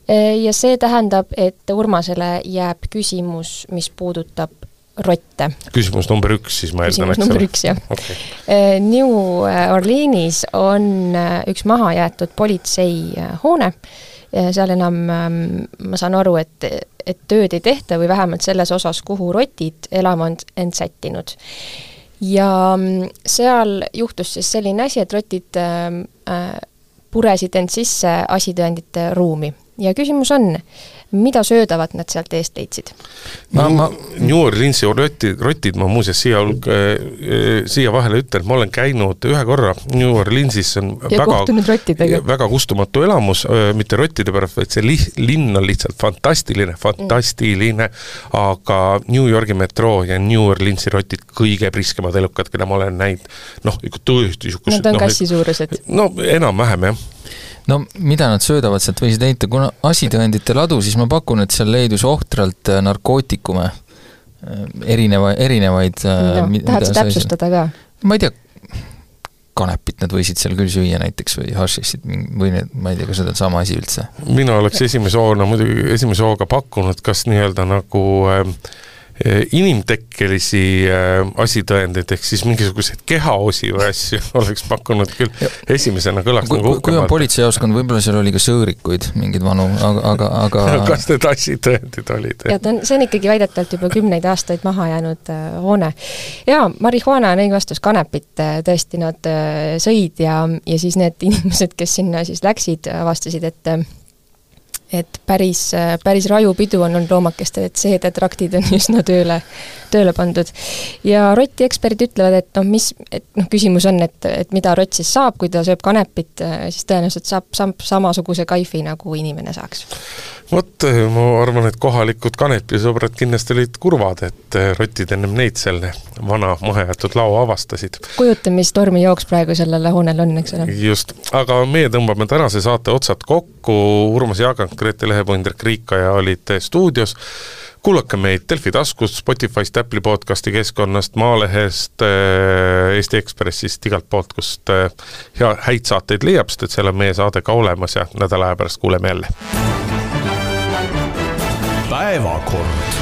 Speaker 2: Ja see tähendab, et Urmasele jääb küsimus, mis puudutab rotte.
Speaker 3: Küsimus number üks, siis ma
Speaker 2: eeldan, eks ole. Küsimus number üks, jah. Okay. New Orleanis on üks maha jäetud politseihoone. Seal enam, ma saan aru, et, et tööd ei tehta või vähemalt selles osas, kuhu rotid elama on end sättinud. Ja seal juhtus siis selline asi, et rotid äh, puresid end sisse asitõendite ruumi. ja küsimus on, mida söödavat nad sealt eest leidsid?
Speaker 3: Ma, ma, New Orleansi rotid, rotid ma muuseas siia, siia vahele ütlen, ma olen käinud ühe korra New Orleansis, on
Speaker 2: ja
Speaker 3: väga, väga kustumatu elamus, mitte rottide pärast, vaid see li, linn on lihtsalt fantastiline, fantastiline, mm. aga New Yorgi metro ja New Orleansi rotid kõige priskemad elukad, keda ma olen näinud, noh, tõesti
Speaker 2: Nad on no, kassi suurused.
Speaker 3: No enam-vähem, jah.
Speaker 4: No mida nad söödavad, sealt võisid leida, kuna asitõendite ladu, siis ma pakun, et seal leidus ohtralt narkootikume, erineva, erinevaid
Speaker 2: no, tahad sa täpsustada ka?
Speaker 4: Ma ei tea, kanepit nad võisid seal küll süüa näiteks või hašissid või need, ma ei tea, kas need on sama asi üldse.
Speaker 3: Mina oleks esimese hoona, muidugi esimese hooga pakkunud, kas nii-öelda nagu äh, inimtekkelisi äh, asitõendeid, ehk siis mingisuguseid kehaosi või asju oleks pakkunud küll. Esimesena kõlaks
Speaker 4: kui,
Speaker 3: nagu
Speaker 4: uhkemalt. Kui on politseijaoskond, võib-olla seal oli ka sõõrikuid, mingid vanu, aga, aga, aga...
Speaker 3: Kas need asitõendid olid?
Speaker 2: Ja ta on, see on ikkagi väidetavalt juba kümneid aastaid maha jäänud äh, hoone. Ja marihuana on õige vastus, kanepit tõesti nad äh, sõid ja, ja siis need inimesed, kes sinna siis läksid, avastasid, et äh, et päris, päris rajupidu on olnud loomakestel, et seedetraktid on üsna tööle, tööle pandud. Ja roti eksperdid ütlevad, et noh, mis, et noh, küsimus on, et, et mida rott siis saab, kui ta sööb kanepit, siis tõenäoliselt saab sam, samasuguse kaifi, nagu inimene saaks.
Speaker 3: Vot, ma arvan, et kohalikud kanepisõbrad kindlasti olid kurvad, et rotid ennem neid selle vana mahajätud lao avastasid.
Speaker 2: Kujutan, mis tormi jooks praegu sellele hoonel on, eks ole?
Speaker 3: Just, aga meie tõmbame tänase saate otsad kokku, Urmas Jaagant, Grete Lehepõnder, Kriika ja olid stuudios. Kuulake meid Delfi taskust, Spotify'st, Apple'i podcasti keskkonnast, Maalehest, Eesti Ekspressist, igalt poolt, kust hea, häid saateid leiab, sest et seal on meie saade ka olemas ja nädala aja pärast kuuleme jälle.
Speaker 1: Päevakord.